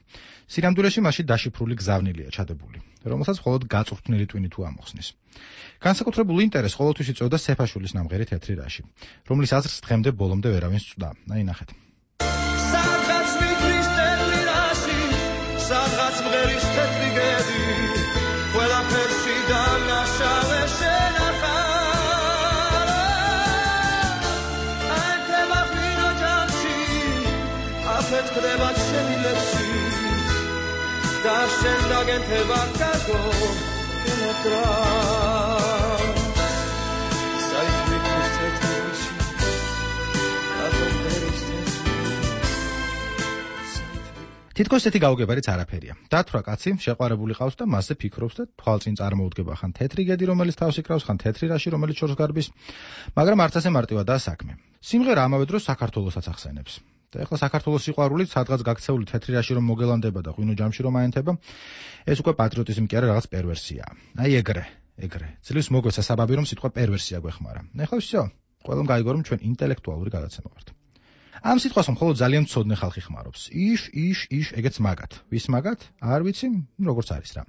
სინამდვილეში მასში დაშიფრული გზავნილია ჩადებული, რომელსაც მხოლოდ გაწვრთნილი ტვინი თუ ამოხსნის. განსაკუთრებულ ინტერესს ყოველთვის იწვევდა სეფაშვილის ნამღერი თეთრი რაში, რომლის აზრს დღემდე ბოლომდე ვერავინ სწვდა. აი ნახეთ. სადღაც მიწრის თეთრი რაში, სადღაც მღერის თეთრი გედი, ყველაფერში დანაშავე შენახა. ეთქდება შენი ლექსი და შენ დაგენთება გაგო კენოტრა საერთოდ თეთრში რატომ დერესტეს თითქოს ესეთი გაუგებარიც არაფერია. დათვრა კაცი შეყვარებული ყავს და მასზე ფიქრობს და თვალწინ წარმოუდგება ხან თეთრი გედი, რომელიც თავს იკრავს, ხან თეთრი რაში, რომელიც შორს გარბის, მაგრამ არც ასე მარტივადაა საქმე. სიმღერა ამავე დროს საქართველოსაც ახსენებს. და ეხლა საქართველოს სიყვარულით სადღაც გაქცეული თეთრი რაში რომ მოგელანდება და ღვინო ჯამში რომ აენთება, ეს უკვე პატრიოტიზმი კი არა, რაღაც პერვერსია. აი ეგრე. ძლივს მოგვეცა საბაბი რომ სიტყვა პერვერსია გვეხმარა. ეხლა всё, ყველამ გაიგო რომ ჩვენ ინტელექტუალური გადაცემა ვართ. ამ სიტყვას მხოლოდ ძალიან მცოდნე ხალხი ხმარობს. იშ, ეგეც მაგათ. ვის მაგათ? არ ვიცი, როგორც არის რა.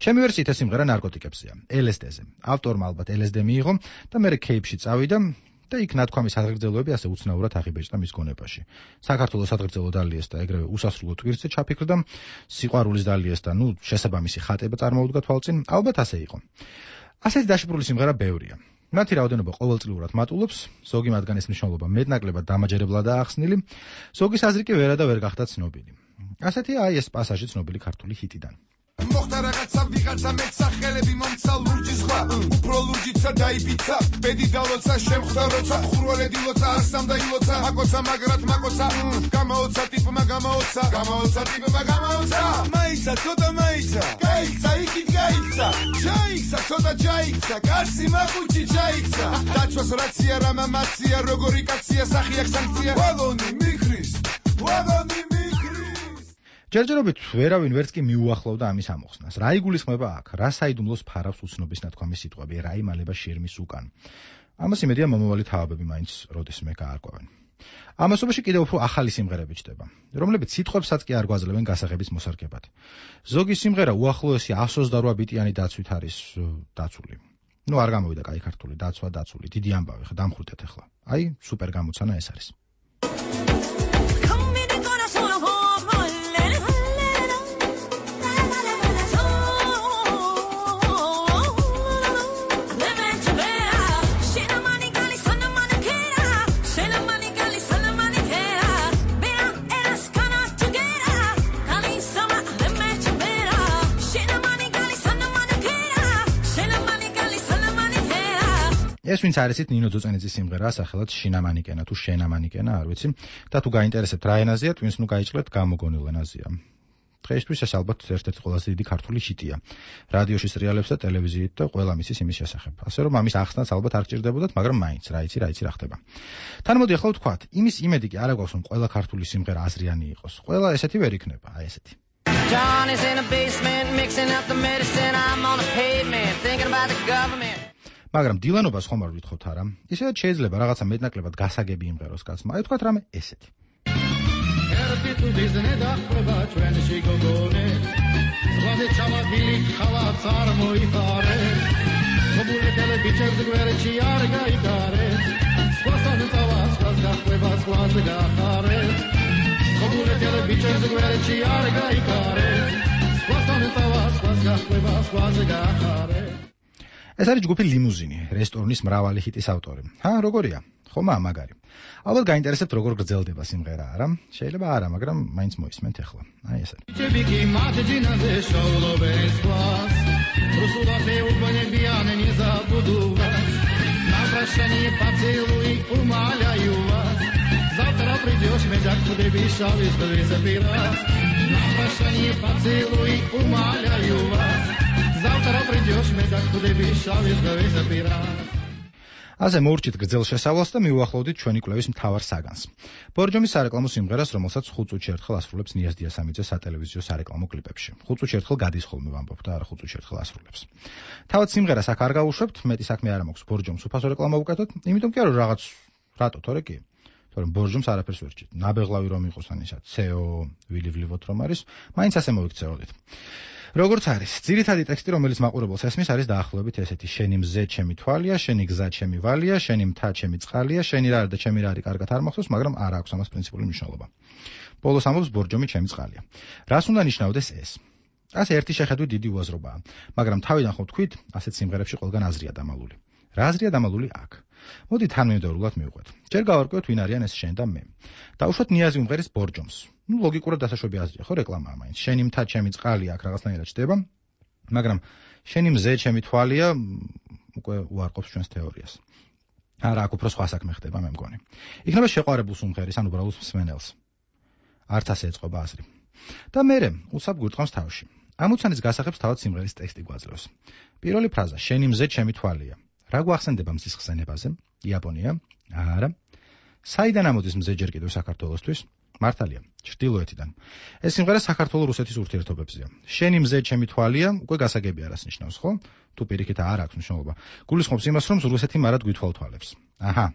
ჩემი ვერსიით ეს სიმღერა ნარკოტიკებზეა, LSD-ზე. ავტორმა ალბათ LSD მიიღო და მე кейფში წავიდა. და იქ ნათქვამის საგრძელოები ასე უცნაურად აღიბეჭდა მის გონებაში. საქართველოს საგრძელო დალიეს და ეგრევე უსასრულო ტვირთზე ჩაფიქრდა, სიყვარულის დალიეს და შესაბამისი ხატება წარმოუდგა თვალწინ, ალბათ ასე იყო. ასეთი დაშიფრული სიმღერა ბევრია. მათი რაოდენობა ყოველწლიურად მატულობს, ზოგი მათგანის მნიშვნელობა მეტნაკლებად დამაჯერებლადაა ახსნილი, ზოგის აზრი კი ვერა და ვერ გახდა ცნობილი. ასეთია აი ეს პასაჟი ცნობილი ქართული ჰიტიდან. მოხდა რაღაცა ვიღაცა მეტსახელები მომცა ლურჯი ზღვა უფრო ლურჯიცა დაიბიცა ბედი დალოცა შემხდა როცა ხურვალედი ლოცა არსამდა ილოცა მაკოცა მაგრად მაკოცა გამაოცა ტიპმა გამაოცა მაიცა ცოტა მაიცა გაიქცა იქით გაიქცა ჩაიქცა ცოტა ჩაიქცა კარსი მაკუჩი ჩაიქცა დაჩვას რაცია რამა მაცია როგორი კაცია სახი აქ სანქცია ვაგონი მიქრის ჯერჯერობით ვერავინ ვერც კი მიუახლოვდა ამის ამოხსნას. რა იგულისხმება აქ? რა საიდუმლოს ფარავს უცნობის ნათქვამის სიტყვები, რა იმალება შირმის უკან? ამას იმედია მომავალი თავებები მაინც როდესმე გაარკვევენ. ამასობაში კიდევ უფრო ახალი სიმღერები ჩდება, რომლებიც სიტყვებსაც კი არ გვაძლევენ გასაღების მოსარგებად. ზოგი სიმღერა უახლოესი 128 ბიტიანი დაცვით არის დაცული. არ გამოვიდა კაი ქართული დაცული, დიდი ამბავი, ხა დამხრუტეთ ახლა. აი, სუპერ გამოცანა ეს არის. ეს ვინც არისით ნინო ძოწენიძის სიმღერაა სახელად შინამანიკენა თუ შენამანიკენა, არ ვიცი. და თუ გაინტერესებთ რა ენაზეა, twins ნუ გაიჭრეთ გამოგონილ ენაზეა. დღეისთვის ეს ალბათ ერთ-ერთი ყველაზე დიდი ქართული ჰიტია. რადიოში, სერიალებსა და ტელევიზიით და ყველა მისის იმის შესახებ. ასე რომ ამის ახსნაც ალბათ არ გჭირდებოდათ, მაგრამ მაინც რა იცი რა ხდება. თან მოდი ახლა ვთქვათ, იმის იმედი კი არ აქვს, რომ ყველა ქართული სიმღერა აზრიანი იყოს. ყველა ესეთი ვერ იქნება, აი ესეთი. John is in the basement mixing up the medicine. I'm on the pavement thinking about the government. მაგრამ დილანობას ხომ არ ვითხოვთ არა? ისედაც შეიძლება რაღაცა მეტნაკლებად გასაგები იმღეროს კაცმა. აი თქვათ რამე ესეთი. ერთი თუ დიზნე დახვება ჩვენში გოგონე. ზღვაზე ჩამაგილი ხალაც არ მოიხარე. გოგონეთელ ბიჭებს გვერდში არ გაიგარე. სხვასთან წავას სხვას გახვება სხვაზე გახარე. გოგონეთელ ბიჭებს გვერდში არ გაიგარე. სხვასთან წავას სხვას გახვება სხვაზე გახარე. ეს არის ჯგუფი ლიმუზინი, რესტორნის მრავალი ჰიტის ავტორი. როგორია? ხომაა მაგარი. ალბათ გაინტერესებთ როგორ გრძელდება სიმღერა, არა? შეიძლება არა, მაგრამ მაინც მოისმენთ ახლა. აი ეს არის. Чебики матжинაზე შოულობენ სклас. Русулате убанебиане не забуду вас. На прощание поцелуй умоляю вас. Завтра придешь, медяк будешь весь раз. На прощание поцелуй умоляю вас. Завтра придешь, медяк будешь весь раз. ასე მოურჩით გრძელ შესავლას და მიუახლოვდით ჩვენი კვლევის მთავარ საგანს. ბორჯომის სარეკლამო სიმღერას, რომელსაც 5 წუთში ერთხელ ასრულებს ნიაზ დიასამიძე სატელევიზიო სარეკლამო კლიპებში. 5 წუთში ერთხელ გადის ხოლმე ვამბობ და არა 5 წუთში ერთხელ ასრულებს. თავად სიმღერას აქ არ გავუშვებთ, მეტი საქმე არ მაქვს ბორჯომს უფასო რეკლამა ვუკეთოთ, იმიტომ კი არა რაღაც რატო თორე კი. თორემ ბორჯომს არაფერს ვერ ჭირთ. ნაბეღლავი რომ იყოს ან ისა CO ვილივლივოთ რომ არის, მაინც ასე მოვიქცეოდით. როგორც არის, ძირითადი ტექსტი, რომელიც მაყურებელს ესმის, არის დაახლოებით ესეთი: შენი მზე ჩემი თვალია, შენი გზა ჩემი ვალია, შენი მთა ჩემი წყალია, შენი რა და ჩემი რა არის კარგად არ მახსოვს, მაგრამ არ აქვს ამას პრინციპული მნიშვნელობა. ბოლოს ამბობს ბორჯომი ჩემი წყალია. რას უნდა ნიშნავდეს ეს? ასე ერთი შეხედვით დიდი უაზრობაა, მაგრამ თავიდან ხო თქვით, ასეთ სიმღერებში ყველგან აზრია დამალული. რა აზრია დამალული აქ? მოდი თანმიმდევრულად მივყვეთ. ჯერ გავარკვევთ, ვინ არიან ეს შენ და მე. დავუშვათ ნიაზი უმღერის ბორჯომს. ლოგიკურად დასაშვები აზრია, ხო რეკლამაა მაინც. შენი მთა ჩემი წყალია აქ რაღაცნაირად ჩდება, მაგრამ შენი მზე ჩემი თვალია უკვე უარყოფს ჩვენს თეორიას. არა, აქ უფრო სხვა საქმე ხდება, მე მგონი. იქნება შეყვარებულს უმღერის, ან უბრალოდ მსმენელს. არც ასე ეწყობა აზრი. და მერე უცებ გვირწყავს თავში. ამოცანის გასახებს თავად სიმღერის ტექსტი გვაძლევს. პირველი ფრაზა: შენი მზე ჩემი თვალია. რა გვახსენდება მზის ხსენებაზე? იაპონია? არა. საიდან ამოდის მზე ჯერ კიდევ საქართველოსთვის? მართალია, ჩრდილოეთიდან. ეს სიმღერა საქართველო-რუსეთის ურთიერთობებზეა. შენი მზე ჩემი თვალია, უკვე გასაგები არას ნიშნავს, ხო? თუ პირიქით არ აქვს მნიშვნელობა. გულისხმობს იმას, რომ რუსეთი მარად გვითვალთვალებს. აჰა.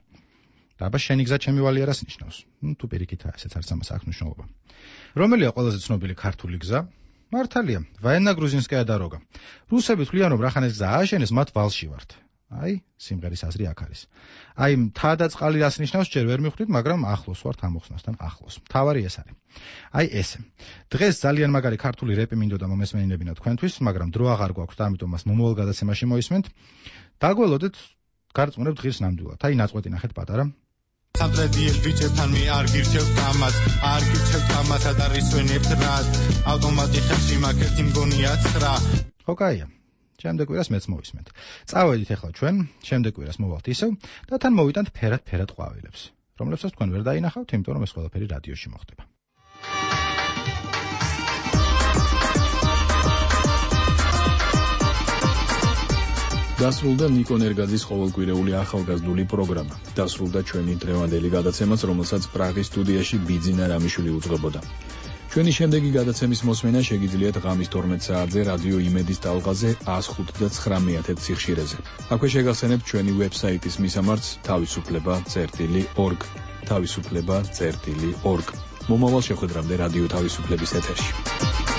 დაბა შენი გზა ჩემი ვალი არას ნიშნავს. თუ პირიქით ესეც არც ამას აქვს მნიშვნელობა. რომელია ყველაზე ცნობილი ქართული გზა? მართალია, ვაენა-გრუზინსკაია დაროგა. რუსები თვლიან, რომ რახან ეს გზა ააშენეს, მათ ვალში ვართ. აი, სიმღერის აზრი აქ არის. აი, მთა და წყალი რას ნიშნავს, ჯერ ვერ მივხვდით, მაგრამ ახლოს ვართ ამოხსნასთან ახლოს. მთავარი ეს არის. აი ესე. დღეს ძალიან მაგარი ქართული რეპი მინდოდა მომესმენინებინა თქვენთვის, მაგრამ დრო აღარ გვაქვს და ამიტომ მას მომავალ გადაცემაში მოისმენთ. დაგველოდეთ, გარწმუნებთ ღირს ნამდვილად. აი, ნაწყვეტი ნახეთ პატარა. სამტრედიელ ბიჭებთან მე არ გირჩევთ კამაც, არ გირჩევთ კამათად არ ისვენებთ რად. ავტომატი ხელში მაქვს ერთი მგონია 9. ხო, კაია. შემდეგ კვირას მეც მოვისმენთ. წავედით ახლა ჩვენ, შემდეგ კვირას მოვალთ ისევ და თან მოვიტანთ ფერად ყვავილებს, რომლებსაც თქვენ ვერ დაინახავთ, იმიტომ რომ ეს ყველაფერი რადიოში მოხდება. დასრულდა ნიკო ნერგაძის ყოველკვირეული ახალგაზრდული პროგრამა. დასრულდა ჩვენი დღევანდელი გადაცემაც, რომელსაც პრაღის სტუდიაში ბიძინა რამიშვილი უძღვებოდა. ჩვენი შემდეგი გადაცემის მოსმენა შეგიძლიათ ღამის 12 საათზე რადიო იმედის ტალღაზე 105.9 სიხშირეზე. აქვე შეგახსენებთ ჩვენი ვებსაიტის მისამართს თავისუფლება.org. თავისუფლება.org. მომავალ შეხვედრამდე რადიო თავისუფლების ეთერში.